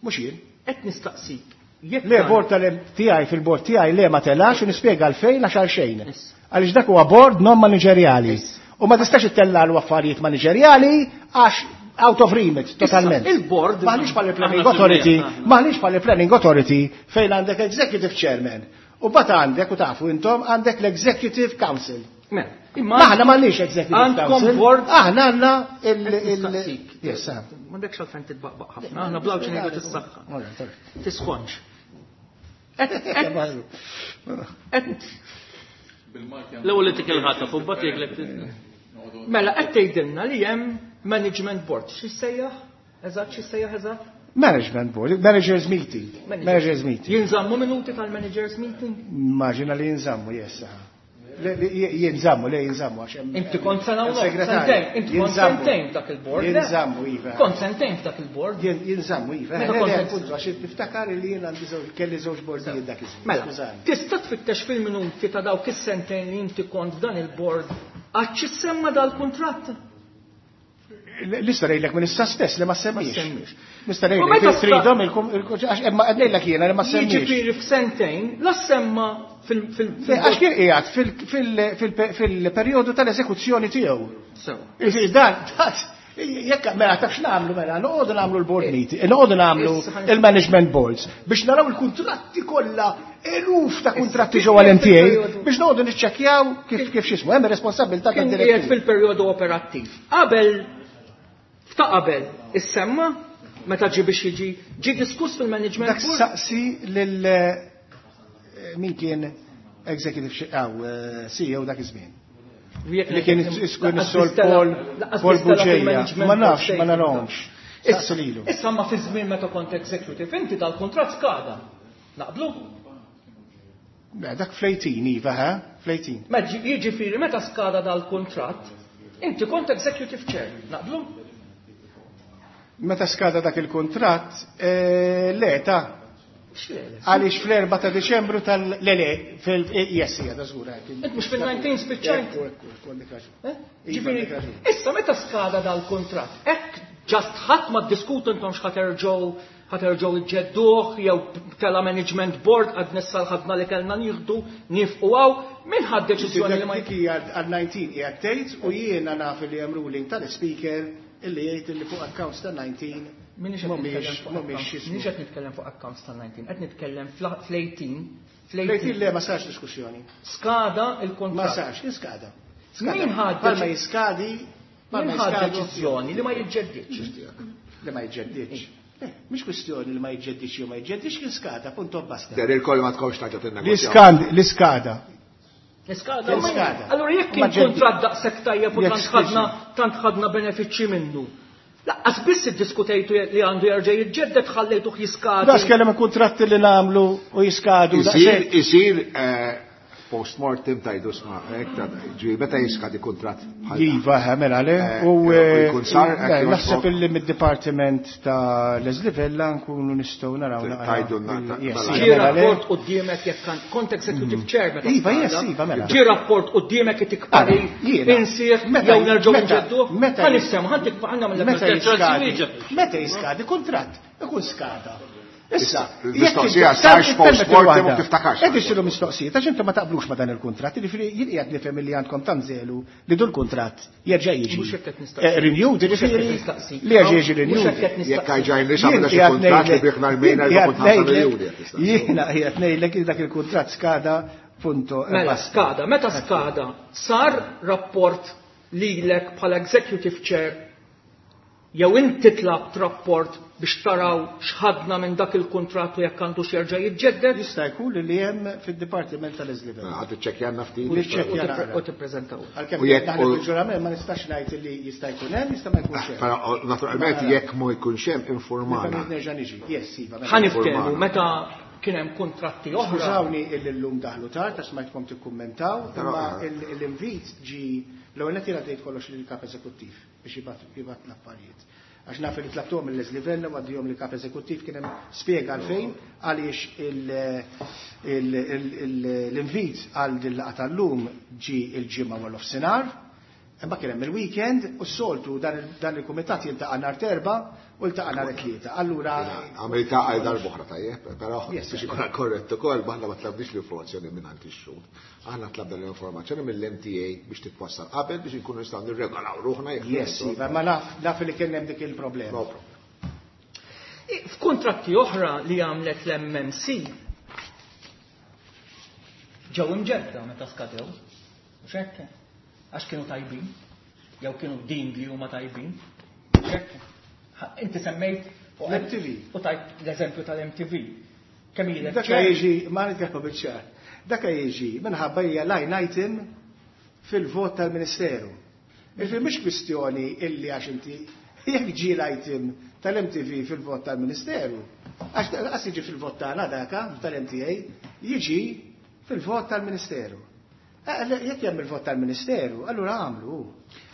Mhux jien. Qed nistaqsik. Le, board tal-tiegħi fil-board tiegħi le ma telax u nispjega għalfejn għax għal xejn. Għaliex dak huwa board non manageriali. U ma tistax ittellalu affarijiet manageriali għax out of remit totalment. Il-board Maħniex bħal planning authority, maħniex bħal planning authority fejn għandek executive chairman. U bat għandek, u tafu intom, għandek l-executive council. Imma Aħna m'għandniex executive council. Board. Aħna għandna il- Yes, m'għandekx għalfejn titbaqbaq ħafna, aħna blawċ ngħidu tissaħħa. Tisħonx. L-ewwel li tikel ħataf u mbagħad jgħidlek. Mela qed tgħidilna li hemm management board. X'issejjaħ? Eżatt x'issejjaħ eżatt? Management board, managers meeting. Managers meeting. Jinżammu minuti tal-managers meeting? Immaġina li jinżammu, yes. Jinżammu, le jinżammu. Inti kont sena u sentejn, inti kont sentejn f'dak il-board. Jinżammu, iva. Kont sentejn f'dak il-board. Jinżammu, iva. Meta għax niftakar li jien għandi kelli żewġ bordijiet dak iż-żmien. Mela, tista' tfittex fil-minuti ta' dawk is-sentejn li inti kont f'dan il-board għax semma dal-kuntratt? Nista' ngħidlek minn issa stess li ma semmix. Nista' ngħidlek tridhom għax imma qed ngħidlek jiena li ma semmix. Jiġifieri f'sentejn la semma fil- Għax kien qiegħed fil-perjodu tal-eżekuzzjoni tiegħu. Dan, jekk mela taf x'nagħmlu mela, noqogħdu nagħmlu l-board meeting, noqogħdu nagħmlu il-management boards biex naraw il-kuntratti kollha, eluf ta' kuntratti ġewwa l-M T A biex noqogħdu niċċekkjaw kif kif x'ismu, hemm responsabilità tad-direttur. Fil-perjodu operattiv. Qabel ta' qabel issemma meta ġi biex jiġi ġi diskuss fil-management Dak saqsi lil min kien executive aw C E O dak iż-żmien. Li kien iskun is-Sur Paul Paul Bugeja. Ma nafx, ma narahomx. Saqsu lilu. Issa ma fi żmien meta kont executive inti dal-kuntratt skada. Naqblu? Dak fl-eighteen, iva, ha? Fl-eighteen. Ma jiġifieri meta skada dal-kuntratt, inti kont executive chair, naqblu? Meta skada dak il-kuntratt, le, ta' għaliex fl-erba ta' Deċembru tal- Le, le, fil- Yes, hija da żgur. Int mhux fil-disa spiċċajt? Ġifieri, issa meta skada dal-kuntratt, hekk just ħadd ma ddiskutu intom x'ħa terġgħu ħa terġgħu iġġedduh jew tela management board għad nissa l-ħadna li kellna nieħdu nifqu hawn, min ħad deċiżjoni li ma hija għal disa hija tgħid u jiena naf li hemm ruling tal-speaker illi jgħid illi fuq accounts ta' disa Minix qed nitkellem fuq accounts ta' disa, qed nitkellem fl-tmintax. Fl-tmintax le, ma sarx diskussjoni. Skada il-kontratt. Ma sarx, jiskada. Min ħad Palma jiskadi, min ħad deċiżjoni li ma jiġġeddidx? Li ma jiġġeddidx. Mhix kwistjoni li ma jiġġeddidx jew ma jiġġeddidx, kien skada, punto basta. Der il-koll ma tkomx taġa tinnegozjaw. L-iskada. L-iskada. Allora jekk kien kuntratt daqshekk tajjeb u tant ħadna tant ħadna benefiċċji minnu. Laqqas biss iddiskutejtu li għandu jerġa' jiġġedded, ħallejtuh jiskadi. Das kellem kuntratti li nagħmlu u jiskadu. Isir, isir Post-mortem tajdu sma, ġi, meta jiskadi kuntratt bħal dan? Iva, mela le. U jkun sar, hekk naħseb illi mid-dipartiment ta' Leslie Vella nkunu nistgħu naraw naqra. Tajdulna, ta- Yes, mela. Ġie mela le. rapport quddiemek jekk kan kont executive chair meta Iva, skada. yes, iva, mela. Ġie rapport quddiemek itik parir, Jiena. insieħ, Meta- jew nerġgħu meta- nġeddu. meta- Ħa nissem, ħa ntik ħa Meta nagħmel jiskadi, meta jiskadi kuntratt, ikun skada. Issa, Il-mistoqsija jekk sarx inti- post-mortem permetti u waħda. tiftakarx. Qed issiru mistoqsijiet, għax intom ma taqblux ma dan il-kuntratt, jiġifieri jien qiegħed nifhem li għandkom tanżelu li dul kuntratt jerġa' jiġi. Mhux hekk qed nistaqsi. Eh, Renewed, Mhux hekk qed jiġifieri nistaqsi. li jerġa' jiġi Mhux renewed. hekk qed nistaqsi. Jekk għajġajn li Jien xamna xi qiegħed kuntratt li ngħidlek- biħna l-mejna jien qiegħed erba' punt ħamsa ngħidlek- miljuni qed tistaqsi. Jiena qiegħed ngħidlek li dak il-kuntratt skada punto. e Mela basta. skada, meta skada, sar rapport lilek bħala executive chair jew inti tlabt rapport biex taraw x'ħadna minn dak il-kuntratt u jekk għandu jerġa' jiġġedded Jista' jkun li hemm fid-dipartiment tal-Leslie Vella. Għad iċċekkjanna ftit. U niċċekkja u naqra. u tippreżentaw. Għalkemm U jekk- naħlef u- il-ġurament ma nistax ngħid li jista' jkun hemm, jista' ma jkunx hemm. Però naturalment jekk ma jkunx hemm informana. Nerġa' niġi. Yes, iva. mela. Ħa niftehmu Informana. meta kien hemm kuntratti oħra. Skużawni illi llum daħlu tard għax smajtkom tikkummentaw, Però, imma eh. il- l-invit ġi l-ewwel nett jiena tgħid kollox lill-kap eżekuttiv biex jibgħat jibgħat l-affarijiet. Għax naf li tlabtuhom mill Leslie Vella u għaddihom li kap eżekuttiv kien hemm spjega għalfejn għaliex il- il- il- il- l-invit għal din laqgħa tal-lum ġi il-ġimgħa wara nofsinhar. Imma kien hemm il-weekend u s-soltu dan il- dan il-kumitat jiltaqa' nhar terba u ltaqa' nhar tlieta. Allura Għamilta għal darb'oħra tajjeb, però Yes, biex ikun korrett ukoll aħna ma tlabniex l-informazzjoni minn għand ix-xhud. Aħna tlabna l-informazzjoni mill-M T A biex titwassal qabel biex inkunu nistgħu nirregolaw ruħna jekk Yes, iva, ma naf naf li kien hemm dik il-problema. No problem. F'kuntratti oħra li għamlet l-M M C ġew imġedda meta skadew. Mhux hekk? Għax kienu tajbin, jew kienu din li huma tajbin. Mhux hekk? Ha, inti semmejt u L-M T V. U tajt l-eżempju tal-M T V. Kemm ilek Dak ċer? jiġi, ma nitkellmu biċ-ċar. Dak jiġi minħabba hija line item fil-vot tal-Ministeru. Jiġifieri mhux kwistjoni illi għax inti jekk ġie l-item tal-M T V fil-vot tal-Ministeru, għax qas jiġi fil-vot tagħna daka tal-M T A, jiġi fil-vot tal-Ministeru. Eh, le, jekk hemm il-vot tal-Ministeru, allura għamlu.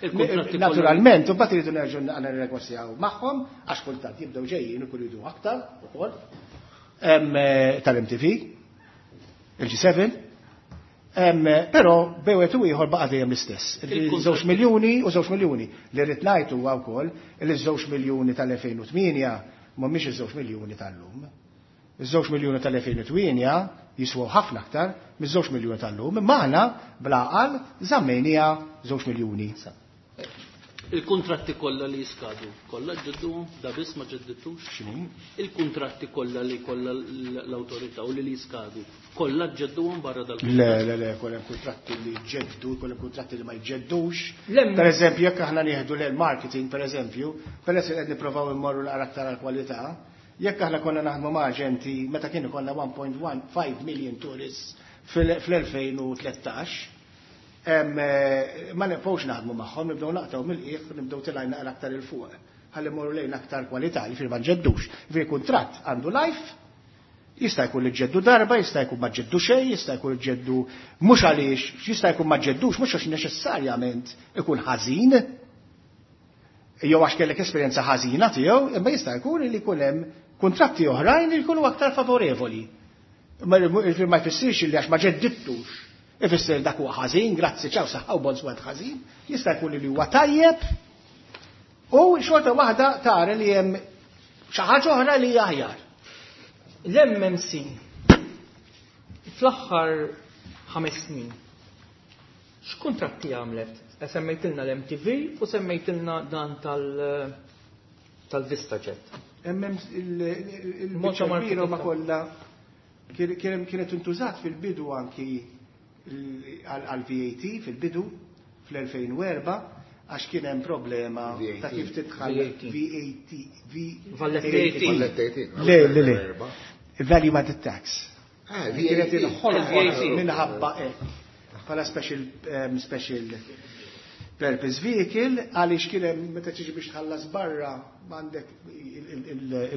Il-kontratti kollha. Naturalment, u mbagħad iridu nerġgħu nirnegozjaw magħhom għax kultant jibdew ġejjin u jridu aktar ukoll. Hemm, eh, tal-M T V, il-G seven, hemm, eh, però bejwet u ieħor baqa' dejjem l-istess. Il-kontratti Żewġ miljuni u żewġ miljuni. Li rrid ngħid huwa wkoll li żewġ miljuni tal-elfejn u tmienja mhumiex iż-żewġ miljuni tal-lum. Iż-żewġ miljuni tal-elfejn u tmienja jiswew ħafna aktar miż-żewġ miljuni tal-lum, imma aħna bl-għaqal żammejniha żewġ miljuni. Il-kontratti kollha li jiskadu, kollha ġedduhom, da biss ma ġeddittux? X'inhi? Il-kontratti kollha li kollha l-awtorità u li li jiskadu, kollha ġedduhom barra dal-kuntratt? Le, le, le, kollha hemm kuntratti li jġeddu, kollha hemm kuntratti li ma jġeddux. L-em- Per eżempju, jekk aħna nieħdu l-marketing, per eżempju, peress li qed nipprovaw immorru l aktar għall-kwalità, jekk aħna konna naħdmu ma' aġenti meta kienu konna one point one five million tourists fil-, fl-elfejn u tlettax, em, eh, ma nibqgħux naħdmu magħhom, nibdew naqtgħu mill-qiegħ, nibdew tilgħin naqra aktar il fuq. Ħalli mmorru lejn aktar kwalità, li fil ma nġeddux. Fi kuntratt għandu life, jista' jkun li ġeddu darba, jista' jkun ma ġeddu xejn, jista' jkun li ġeddu mhux għaliex, jista' jkun ma ġeddux, mhux għax neċessarjament ikun ħażin, jew għax kellek esperjenza ħażina tiegħu, imma jista' jkun li jkun hemm kuntratti oħrajn li jkunu aktar favorevoli. Ma ma jfissirx li għax ma ġeddittux. Ifisser dak huwa ħażin, grazzi ċaw saħħa u bonz wieħed ħażin, jista' jkun li huwa tajjeb u xorta waħda tara li hemm xi ħaġa oħra li hija aħjar. L-M M C fl-aħħar ħames snin x'kuntratti għamlet? E semmejtilna l-M T V u semmejtilna dan tal-, tal-VistaJet. M M C, il-, il-, il-, Molta il-biċċa marketing kbira ma ta' kollha kien-, kien-, kienet intużat fil-bidu anki għal-, għal V A T fil-bidu fl-elfejn u erba' għax kien hemm problema V A T. ta' kif tidħal V A T. V A T, V Valletta A T. Valletta A T. Le, le, le. Value Added Tax. Ah, V A Kienet T. inħolqot V A T. minħabba hekk. Bħala special, um, special purpose vehicle għaliex kien hemm meta tiġi biex tħallas barra m'għandek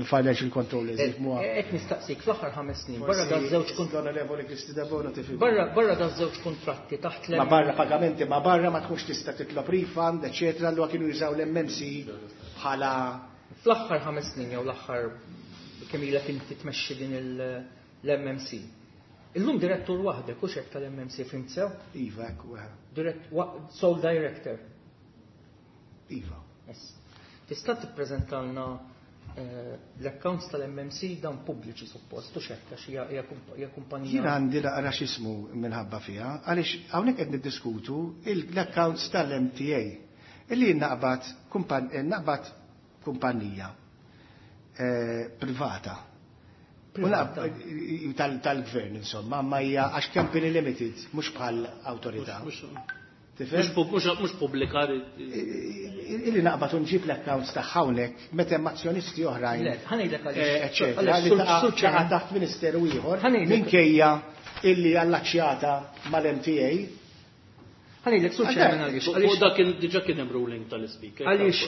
il-financial controllers jifhmuha. Qed nistaqsik fl-aħħar ħames snin barra da żewġ Onorevoli Kristi Debono tifhem. Barra da żewġ kontratti taħt Ma barra pagamenti ma barra ma tkunx tista' titlob refund, eċetera, allura kienu jużaw l-M M C bħala Fl-aħħar ħames snin jew l-aħħar kemm ilek inti tmexxi din l-M M C. Illum direttur waħdek u xek tal-M M C, fhimt sew? Iva, ekku. Direct, sole director. Iva. Yes. Tista' tippreżentalna eh, l-accounts tal-M M C dan pubbliċi suppost, u xekk, għax hija kumpanija. Jien għandi naqra x'ismu minħabba fiha, għaliex hawnhekk qed niddiskutu l-accounts tal-M T A. Illi naqbad eh, naqbad kumpanija eh, privata tal-gvern, insomma, ma hija għax company limited, mhux bħal awtorità. Mhux pubblika. Illi naqbad nġib l-accounts ta' hawnhekk meta hemm azzjonisti oħrajn. Eh, eċetera, li taqa' taħt ministeru ieħor minkejja illi allaċjata mal-M T A. Ħa ngħidlek, Sur Chairman, għaliex. Dak diġà kien hemm ruling tal-Speaker. Għaliex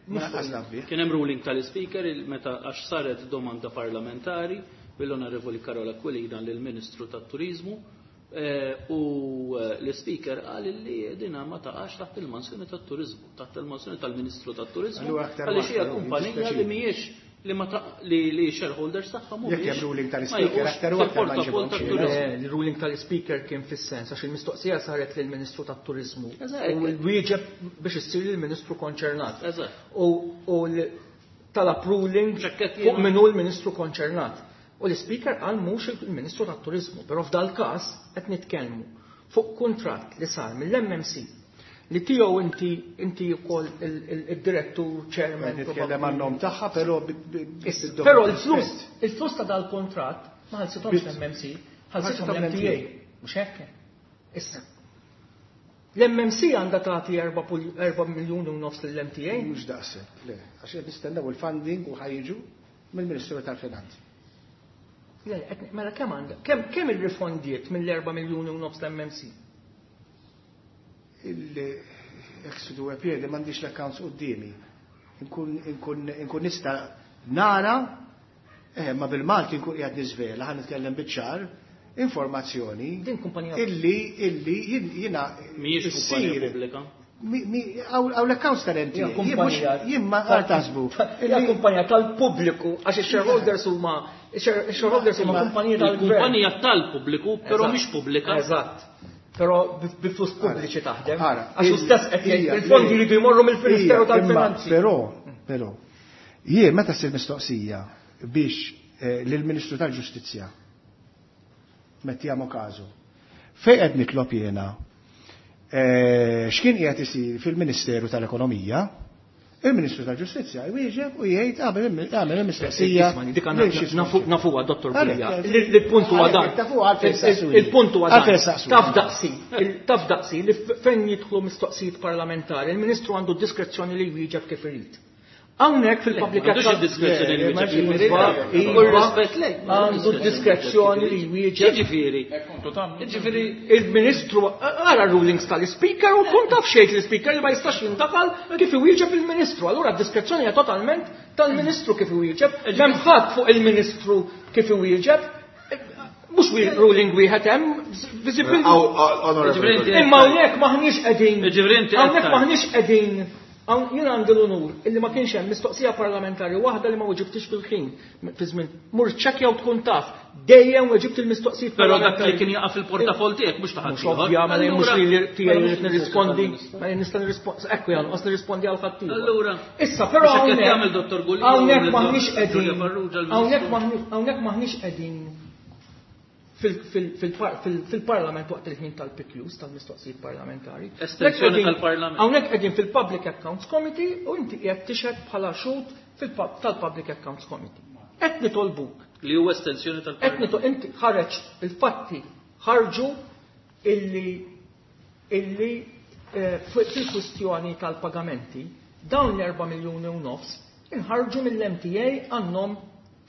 Kien hemm ruling tal-Speaker meta għax saret domanda parlamentari mill-Onorevoli Karol Aquilina lill-Ministru tat-Turizmu eh, u eh, l-Speaker qal li dina ma taqax taħt il-mansjoni tat-Turizmu, taħt il-mansjoni tal-Ministru tat-Turizmu, għaliex hija kumpanija li mhijiex li ma li li shareholders tagħha mhumiex. Jekk hemm ruling tal-Speaker aktar u aktar ma Il-ruling tal-Speaker kien fis-sens għax il-mistoqsija saret lill-Ministru tat-Turizmu. U l-wieġeb biex issir lill-Ministru konċernat. U talab ruling fuq minnu l-Ministru konċernat. U l-Speaker qal mhux il-Ministru tat-Turizmu, però f'dal każ qed nitkellmu fuq kuntratt li sar mill-M M C li tiegħu inti inti wkoll il-direttur chairman. Nitkellem għan-nom tagħha, però Però l-flus il-flus ta' dal-kontratt ma ħallsithomx l-M M C, ħallsithom l-M T A. Mhux hekk? Issa. L-M M C għandha tagħti erba' miljuni u nofs lill-M T A? Mhux daqshekk, le, għax qed nistennew il-funding u ħa jiġu mill-Ministeru tal-Finanzi. Mela kemm għandha? Kemm irrifondiet mill-erba' miljuni u nofs l-M M C? Il-exitu għapjedi m'għandix l-accounts qudiemi. Nkun nista nara, eh, ma bil-Malti nkun qiegħed niżvela, ħa nitkellem biċ-ċar, informazzjoni illi illi jiena Mhijiex kumpanija pubblika. Għaw l-accounts tal-M T A. Jien ma taħsbu. Hija kumpanija tal-pubbliku għax ix-shareholders huma ix-shareholders huma kumpanija tal-gvern. Kumpanija tal-pubbliku, però mhix pubblika. Eżatt. Però bi flus pubbliċi taħdem. Għax stess qed jgħid il-fondi jridu jmorru mill-Ministeru tal-Finanzi. Però, però, jien meta ssir mistoqsija biex eh, lill-Ministru tal-Ġustizzja, mettiamo caso, fejn qed nitlob jiena eh, x'kien qiegħed isir fil-Ministeru tal-Ekonomija, il-Ministru tal-Ġustizzja jwieġeb u jgħid għamel il-mistoqsija. Nafuha, Dottor Bugeja. Il-punt huwa dan. Il-punt huwa dan. Taf daqsi, taf daqsi li fejn jidħlu mistoqsijiet parlamentari, il-Ministru għandu diskrezzjoni li jwieġeb kif irid. Hawnhekk fil-public diskrezzjoni li għandu diskrezzjoni li jwieġeb. Ġifieri. Ġifieri il-Ministru ara rulings tal-Speaker u tkun taf xejn l-Speaker li ma jistax jindaħal kif iwieġeb il-Ministru. Allura d-diskrezzjoni hija totalment tal-Ministru kif iwieġeb. M'hemm ħadd fuq il-Ministru kif iwieġeb. Mhux ruling wieħed hemm visibility. Imma hawnhekk maħniex qegħdin. Hawnhekk maħniex qegħdin. Jien għandi l-unur illi ma kienx hemm mistoqsija parlamentari waħda li ma weġibtix fil-ħin fi żmien. Mur ċekkja u tkun taf. Dejjem weġibt il-mistoqsijiet. Però dak li kien jaqa' fil-portafol tiegħek mhux taħt. Mhux ovvja, ma mhux li tiegħi rrid nirrispondi, ma nista' nirrispondi, ekku jan, nirrispondi għal ħadd. Allura. Issa, però hawnhekk Dottor Gulia. Hawnhekk maħniex qegħdin. Hawnhekk maħniex qegħdin fil-parlament waqt il-ħin tal-P Qs, tal-mistoqsijiet parlamentari. Estensjoni tal-parlament. Hawnhekk qegħdin fil-Public Accounts Committee u inti qiegħed tixhed bħala xhud tal-Public Accounts Committee. Qed nitolbuk. Li huwa estensjoni tal-parlament. Qed inti ħareġ il-fatti ħarġu illi illi eh, fil-kwistjoni tal-pagamenti dawn l-erba' miljuni u nofs inħarġu mill-M T A għan-nom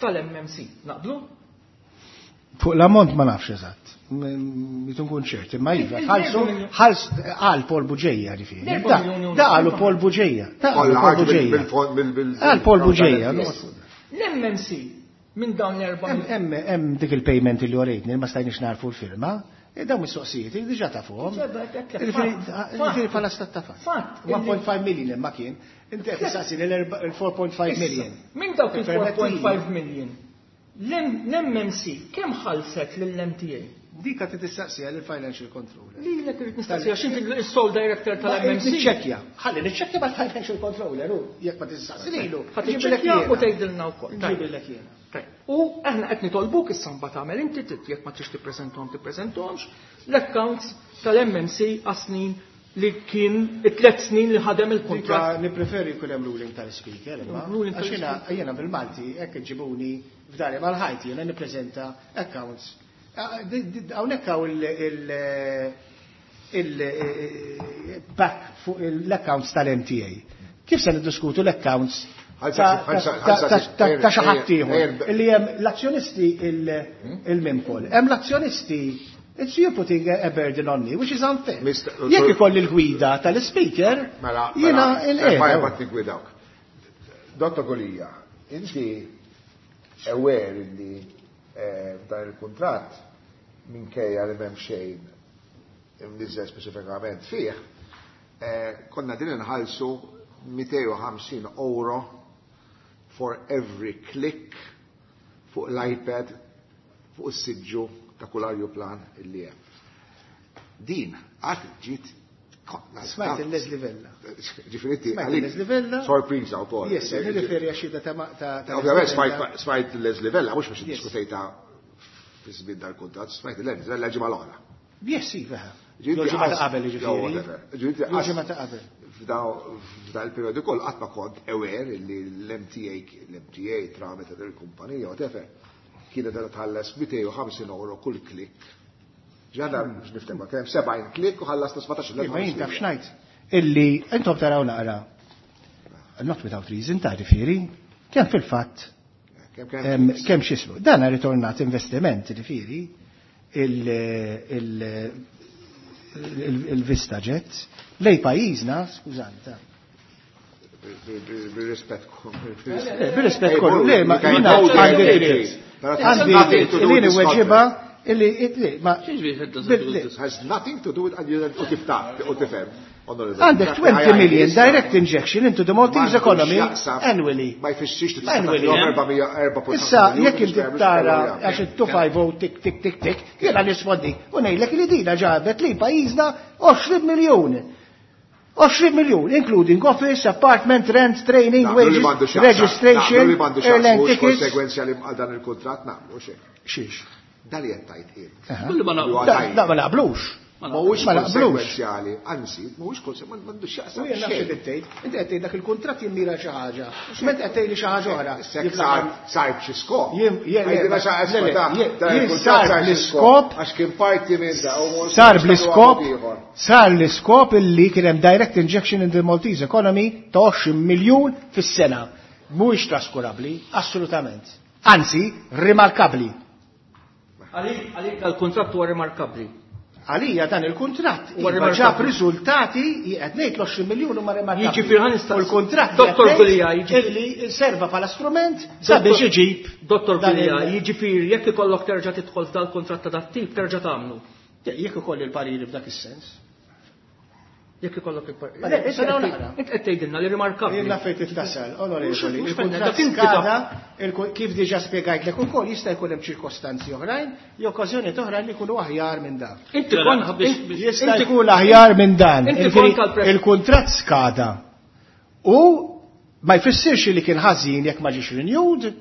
tal-M M C. Naqblu? Fuq l-ammont ma nafx eżatt. Jitu nkun ċert, imma iva, ħalsu, ħalsu, għal Paul Buġeja ġifieri. Da għalu Paul Buġeja. Da għalu Paul Buġeja. Għal Paul Buġeja. L-M M C minn dawn l-erba' Hemm hemm dik il-payment li orejtni ma stajniex narfu l-firma. Dawn mistoqsijiet diġà tafuhom. Ġifieri bħala stat ta' fatt. one point five million imma kien. Inti qed tistaqsi l-four point five million. Minn dawk il-four point five million. L-M M C kemm ħallset lill-M T A? Dika trid tistaqsiha lill-Financial Controller. Lilek irid nistaqsiha x'inti s-sole director tal-M M C. Niċċekkja. Ħalli niċċekkja mal-Financial Controller hu jekk ma tistaqsi lilu. Ħa tiċċekkja u tgħidilna wkoll. Nġibilek jiena. U aħna qed nitolbuk issa mbagħad tagħmel inti trid jekk ma trix tippreżentahom tippreżentahomx l-accounts tal-M M C għas-snin li kien it-tliet snin li ħadem il-kuntratt. Dika nippreferi jkun hemm ruling tal-speaker, imma. Ruling Għax jiena, tal-speaker. jiena bil-Malti hekk iġibuni f'dari mal-ħajt jiena nippreżenta accounts. Hawnhekk hawn il-back fuq l-accounts tal-M T A. Kif se niddiskutu l-accounts ta' xi ħadd ieħor illi hemm l-azzjonisti il-Mimcol. Hemm l-azzjonisti. It's you putting a burden on me, which is unfair. Jekk ikolli l-gwida tal-speaker, jiena il-qiegħed. Ma jibgħat nigwidawk. Dottor Gulia, inti aware illi dan il-kuntratt minkejja li m'hemm xejn imniżżel speċifikament fih, konna din inħallsu mitejn u ħamsin euro for every click fuq l-iPad fuq is-siġġu ta' kull ajruplan illi hemm. Din għad ġiet Smajt il-Leslie Vella. Ġifieri inti Smajt għalik il-Leslie Vella. Sorpriża wkoll. Yes, nirriferi għax xhieda ta' ma-, ta', ta' Ovvjament Leslie smajt Vella. smajt il-Leslie Vella, mhux biex Yes. iddiskutejta fi żmien dal-kuntratt, smajt il-Leslie Vella ġimgħa l-oħra. Yes, iva. Ġifieri Jew ġimgħa ta' għas- qabel, jew ġifieri. whatever. Ġifieri Jew għas- ġimgħa ta' qabel. F'da il-periodu koll qatt ma kont aware li l-M T A, l-M T A tramite il-kumpanija, whatever, kienet qed tħallas mitejn u ħamsin euro kull klik. Ġadda biex niftehmu, kien hemm sebgħin klik u ħallasna sbatax il-elf Imma jien taf ħamsin. x'ngħid illi intom taraw naqra not without reason ta' ġifieri, kemm fil-fatt Kemm kemm em, kemm x'ismu. Dan ha ritornat investiment ġifieri il-, il-, il-, il-Vista Jet lej pajjiżna, skużani ta' Bir-rispett Bir-rispett kollu, le, ma jiena għandi dritt. Għandi dritt, li niweġiba illi, illi, ma Has nothing to do with u tifta, u tifhem. Għandek twenty million direct injection into the Maltese economy annually. Ma jfissirx li Annually. tista' erba' mija, erba' punt Issa, ħamsa jekk miljun inti biex tara tagħmel għax it-two five oh tik tik tik tik, jiena nispondi u ngħidlek li dina ġabet li pajjiżna għoxrin miljun. għoxrin miljun, including office, apartment, rent, training, Naqblu li wages, m'għandu x'jaqsam. registration, Naqblu li m'għandu x'jaqsam, airline mhux tickets. konsegwenzjali għal dan il-kuntratt, naqblu xejn. Xiex? Dan li qed tgħid int. Aha. Kullu ma naqblu. Huwa Da, tajjeb. da ma naqblux. Mhuwiex Ma naqblux. konsegwenzjali, anzi, mhuwiex konsegwenzjali, m'għandux x'jaqsam U jien nafx xejn. li tgħid, inti qed tgħid dak il-kuntratt jimmira xi ħaġa. Meta qed tgħidli xi ħaġa oħra. Sek Jien sar, sar b'xi skop. Jien- jien- Għidilna xi ħaġa, le, le, ta' jien- dan jien il-kuntratt sar sar xi bl-iskop skop, għax kien parti minn da, u mhux Sar mhux bl-iskop, tagħmlu ieħor. sar l-iskop illi kien hemm direct injection in the Maltese economy ta' għoxrin miljun fis-sena. Mhuwiex traskurabbli, assolutament. Anzi, rimarkabbli. Għalik, għalik dal-kuntratt huwa rimarkabbli. Għalija dan il-kuntratt Huwa iva rimarkabbli. ġab riżultati qed ngħid l-għoxrin miljun huma rimarkabbli. Jiġifieri ħa nistaqsi. U l-kuntratt Dottor qed ngħid Gulia, jiġifieri- illi serva bħala strument sabiex iġib Dottor dan Gulia, il- jiġifieri jekk ikollok terġa' tidħol f'dal-kuntratt ta' dat-tip terġa' tagħmlu. Jekk ikolli l-pariri f'dak is-sens. Jekk ikollok il-pariri. Ma le, issa Int naraw qed naqra. int qed tgħidilna li rimarkabbli. Jien naf fejn tittasal, onorevoli, Mhux- mhux il-kuntratt dak inti skada, taf. il-ku-, kif diġà spjegajtlek ukoll jista' jkun hemm ċirkostanzi oħrajn, jew okkażjonijiet oħrajn li jkunu aħjar minn dan. Inti Mela, kont biex- int- biex- Jista' inti- jkun aħjar minn dan. Inti Jiġifieri, kont tal-pres- il-kuntratt skada u ma jfissirx li kien ħażin jekk ma ġiex renewed,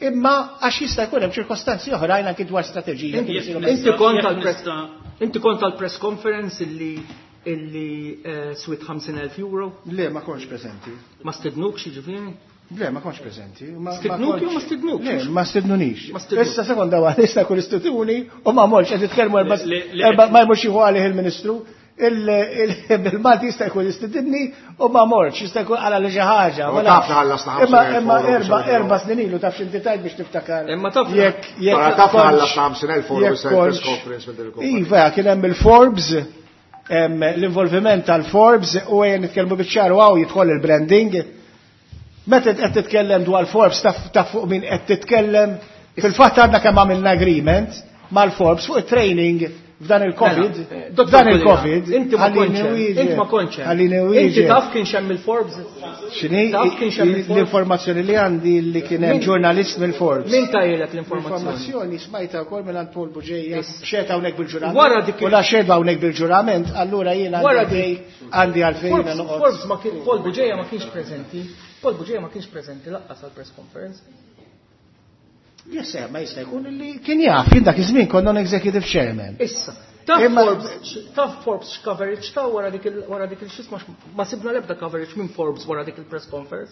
imma għax jista' jkun hemm ċirkostanzi oħrajn anki dwar strateġija. Inti kif isiru inti kont Jekk tal-press nista' inti kont tal-press conference illi illi, eh, swit ħamsin elf euro? Le, ma kontx preżenti. Ma stednukx jiġifieri? Le, ma kontx preżenti. Ma- ma Stednuk kontx- jew ma stednukx? Le, ma stednunix. Ma stednuk. Issa sekonda waħda, issa kull istituni u ma morx qed jitkellmu erba' Le, le, erba' ma jmurx jieħu għalih il-Ministru. Bil-Malti jista' jkun jistidinni u ma morx, jista' jkun għala li xi ħaġa. Ma taf ħallasna Imma erba' erba' snin ilu taf x'inti tajt biex tiftakar. Imma taf jekk jekk taf ħallasna ħamsin elf euro press conference minn il Iva, kien hemm il-Forbes, l-involviment tal-Forbes u għen nitkellmu biċ-ċar u hawn jidħol il-branding. Meta qed titkellem dwar Forbes taf fuq min qed titkellem. Fil-fatt għandna kemm għamilna agreement mal-Forbes fuq it-training f'dan il-Covid, f'dan il-Covid, inti ma kontx, inti ma kontx. Inti taf kien hemm il-Forbes? X'inhi? L-informazzjoni li għandi li kien hemm ġurnalist mill-Forbes. Min tajlek l-informazzjoni? L-informazzjoni smajta wkoll minn Paul Buġeja, xed hawnhekk bil-ġurament. Wara dik u la xed hawnhekk bil-ġurament, allura jiena għandi għandi għalfejn noqgħod. Forbes ma kien Paul Buġeja ma kienx preżenti. Paul Buġeja ma kienx preżenti laqqas għall-press conference. Yes, ma jista' jkun li kien jaf, jien dak iż-żmien kont non-executive chairman. Issa, taf Forbes, taf Forbes coverage ta' wara dik wara dik il-xisma ma sibna l-ebda coverage minn Forbes wara dik il-press conference.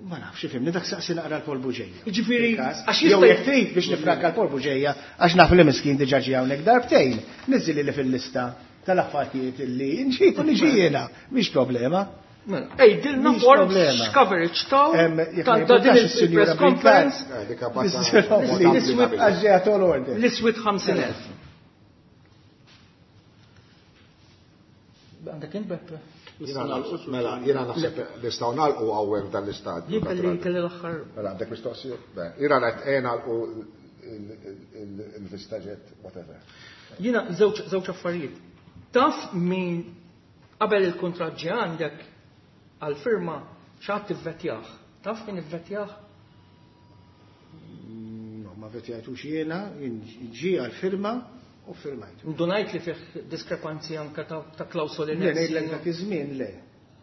Ma nafx ifhimni dak saqsi naqra l-Paul Buġeja. Jiġifieri għax jew jekk trid biex nifranka l-Paul Buġeja għax naf li miskin diġà ġie hawnhekk darbtejn, niżżili li fil-lista tal-affarijiet illi nġib u niġi jiena, mhix problema. Ejdilna Forbes coverage taw ta' din il-press conference. L-iswid ħamsin elf. Għandek int Beppe? Mela, jiena naħseb nistgħu nagħlqu hawnhekk dan l-istadju. Jien kelli kelli l-aħħar. Mela għandek mistoqsija? Jiena qed nagħlqu il-VistaJet, whatever. Jiena żewġ affarijiet. Taf min qabel il-kuntratt ġie għandek għal-firma x'għad tivvetjah. Taf min ivvetjah? No, ma vetjajtux jiena, ġie għal-firma u firmajtu. Ndunajt li fih diskrepanzi anke ta' klawsoli. Le, ngħidlek dak iż-żmien le.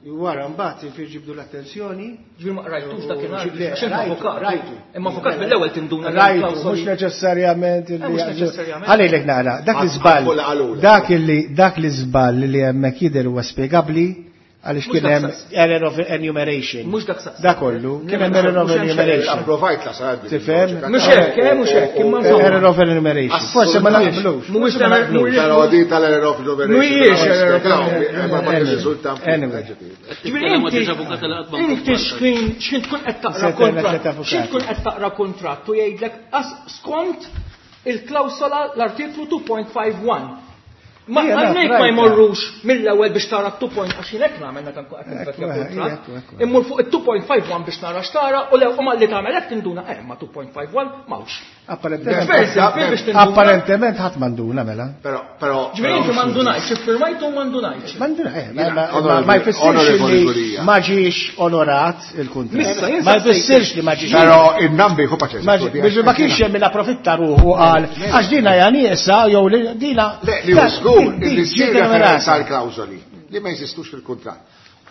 Wara mbagħad infir ġibdu l-attenzjoni. Ġifieri ma qrajtux dakinhar. Rajtu. Imma avukat mill-ewwel tinduna l-klawsoli. Mhux neċessarjament illi. Ħalejlek nara, dak l-iżball. Dak illi dak l-iżball li hemmhekk jidher huwa spjegabbli għaliex kien hemm error of enumeration. Mhux dak saqs. Dak kollu, kien hemm error of enumeration. Approvajt la sarad. Tifhem? Mhux hekk, eh, mhux hekk, imma error of enumeration. Forse ma naqblux. Mhuwiex mhuwiex Però di tal-error of enumeration. Mhuwiex error of enumeration. Anyway. Inti x'kien x'kien tkun qed taqra kontratt. X'kien tkun qed taqra kontratt u jgħidlek skont il-klawsola l-artiklu two point five one. Ma għalhekk ma jmorrux mill-ewwel biex tara two point għax jien hekk nagħmel meta nkun qed nivvetja kuntratt. Immur fuq it-two point five one biex nara x'tara u lew u malli tagħmel hekk tinduna eh ma two point five one m'hawnx. Apparentement ħadd m'għanduna mela. Però però Ġifieri inti m'għandunajx, iffirmajtu u m'għandunajx. M'għanduna eh ma jfissirx li ma ġiex onorat il-kuntratt. Ma jfissirx li ma ġiex. Però in-nambi hu paċenzja. Ma kienx hemm min approfitta ruħu qal għax dina hija nieqsa jew dina. Le li hu żgur li ssir referenza għal klawżoli li ma jeżistux fil-kuntratt.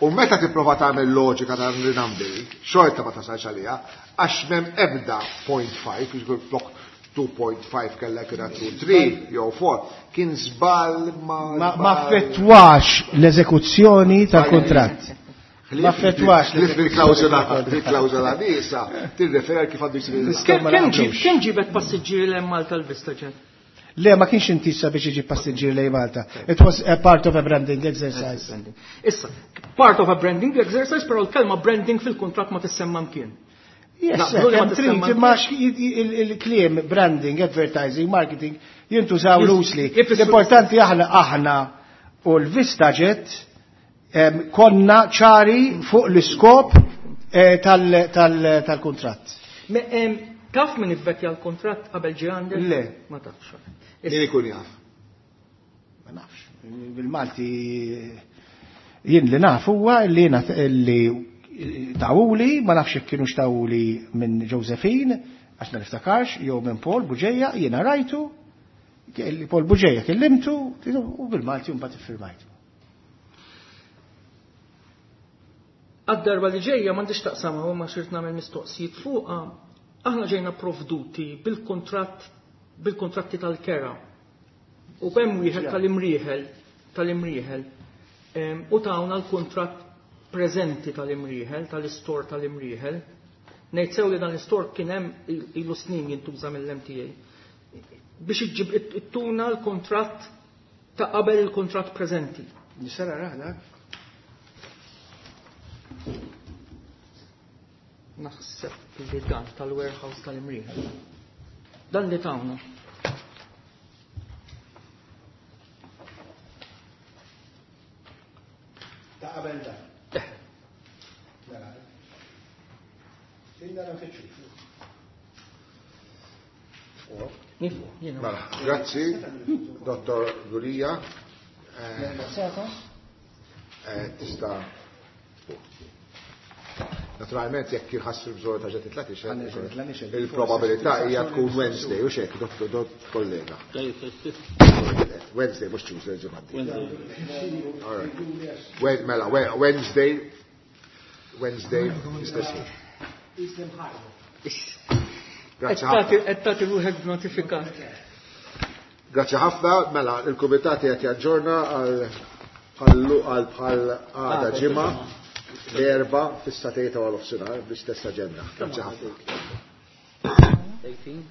U meta tipprova tagħmel loġika ta' rinambi, xorta ma tasalx għaliha, għax m'hemm ebda point five, jiġifieri flok two point five kellha kien two three jew four, kien żball ma ma affettwax l-eżekuzzjoni tal-kuntratt. Ma affettwax l-klawżola il-klawżola nieqsa tirreferi kif għandu jsir. Kemm ġibet passiġġieri lejn Malta l-VistaJet? Le, ma kienx intisa biex iġib passiġġieri lejn Malta. It was a part of a branding exercise. Issa, part of a branding exercise, però l-kelma branding fil-kuntratt ma tissemma mkien. Yes, trid ma il-kliem branding, advertising, marketing jintużaw loosely. L-importanti aħna aħna u l-VistaJet konna ċari fuq l-iskop tal-kuntratt. Taf min ivvetja l-kuntratt qabel ġie għandek? Le. Ma tafx. Min ikun jaf? Ma nafx. Bil-Malti jien li naf huwa li li tawuli, ma nafx jekk kienux tawuli minn Josephine, għax ma niftakarx, jew minn Paul Buġeja, jiena rajtu, Paul Buġeja kellimtu, u bil-Malti mbagħad iffirmajtu. Għad-darba li ġejja m'għandix taqsam u ma xirt nagħmel mistoqsijiet fuqha. Aħna ġejna provduti bil-kontratt bil-kontratti tal-kera. U hemm wieħed tal-imrieħel tal-imrieħel u tawna l-kontratt preżenti tal-imrieħel, tal-istor tal-imrieħel. Ngħid sew li dan l-istor kien hemm ilu snin jintuża mill-M T A. Biex iġġib ittuna l-kontratt Ta' qabel il-kuntratt preżenti. Nista' narah dak? Naħseb li dan tal-warehouse tal-Imrieħel. Dan li tawna. Ta' qabel dan. Mela. Inna nfittxu. Nifu, jiena. Mela, grazzi, Dottor Gulia. Eh, tista' Naturalment, jekk jħassu bżonn ta' ġed titla' il-probabilità hija tkun Wednesday, u xek, dottor dot kollega. Wednesday, mhux Tuesday, ġimgħa. All right. Mela, Wednesday, Wednesday, istess ħin. Grazzi ħafna. Qed tagħti ruħek b'notifikat. Grazzi ħafna, mela, il-kumitat qed jaġġorna għal għal bħal għada ġimgħa l-erba fis-satejta għal nofsinhar bl-istess aġenda. Grazzi ħafna. Eighteen.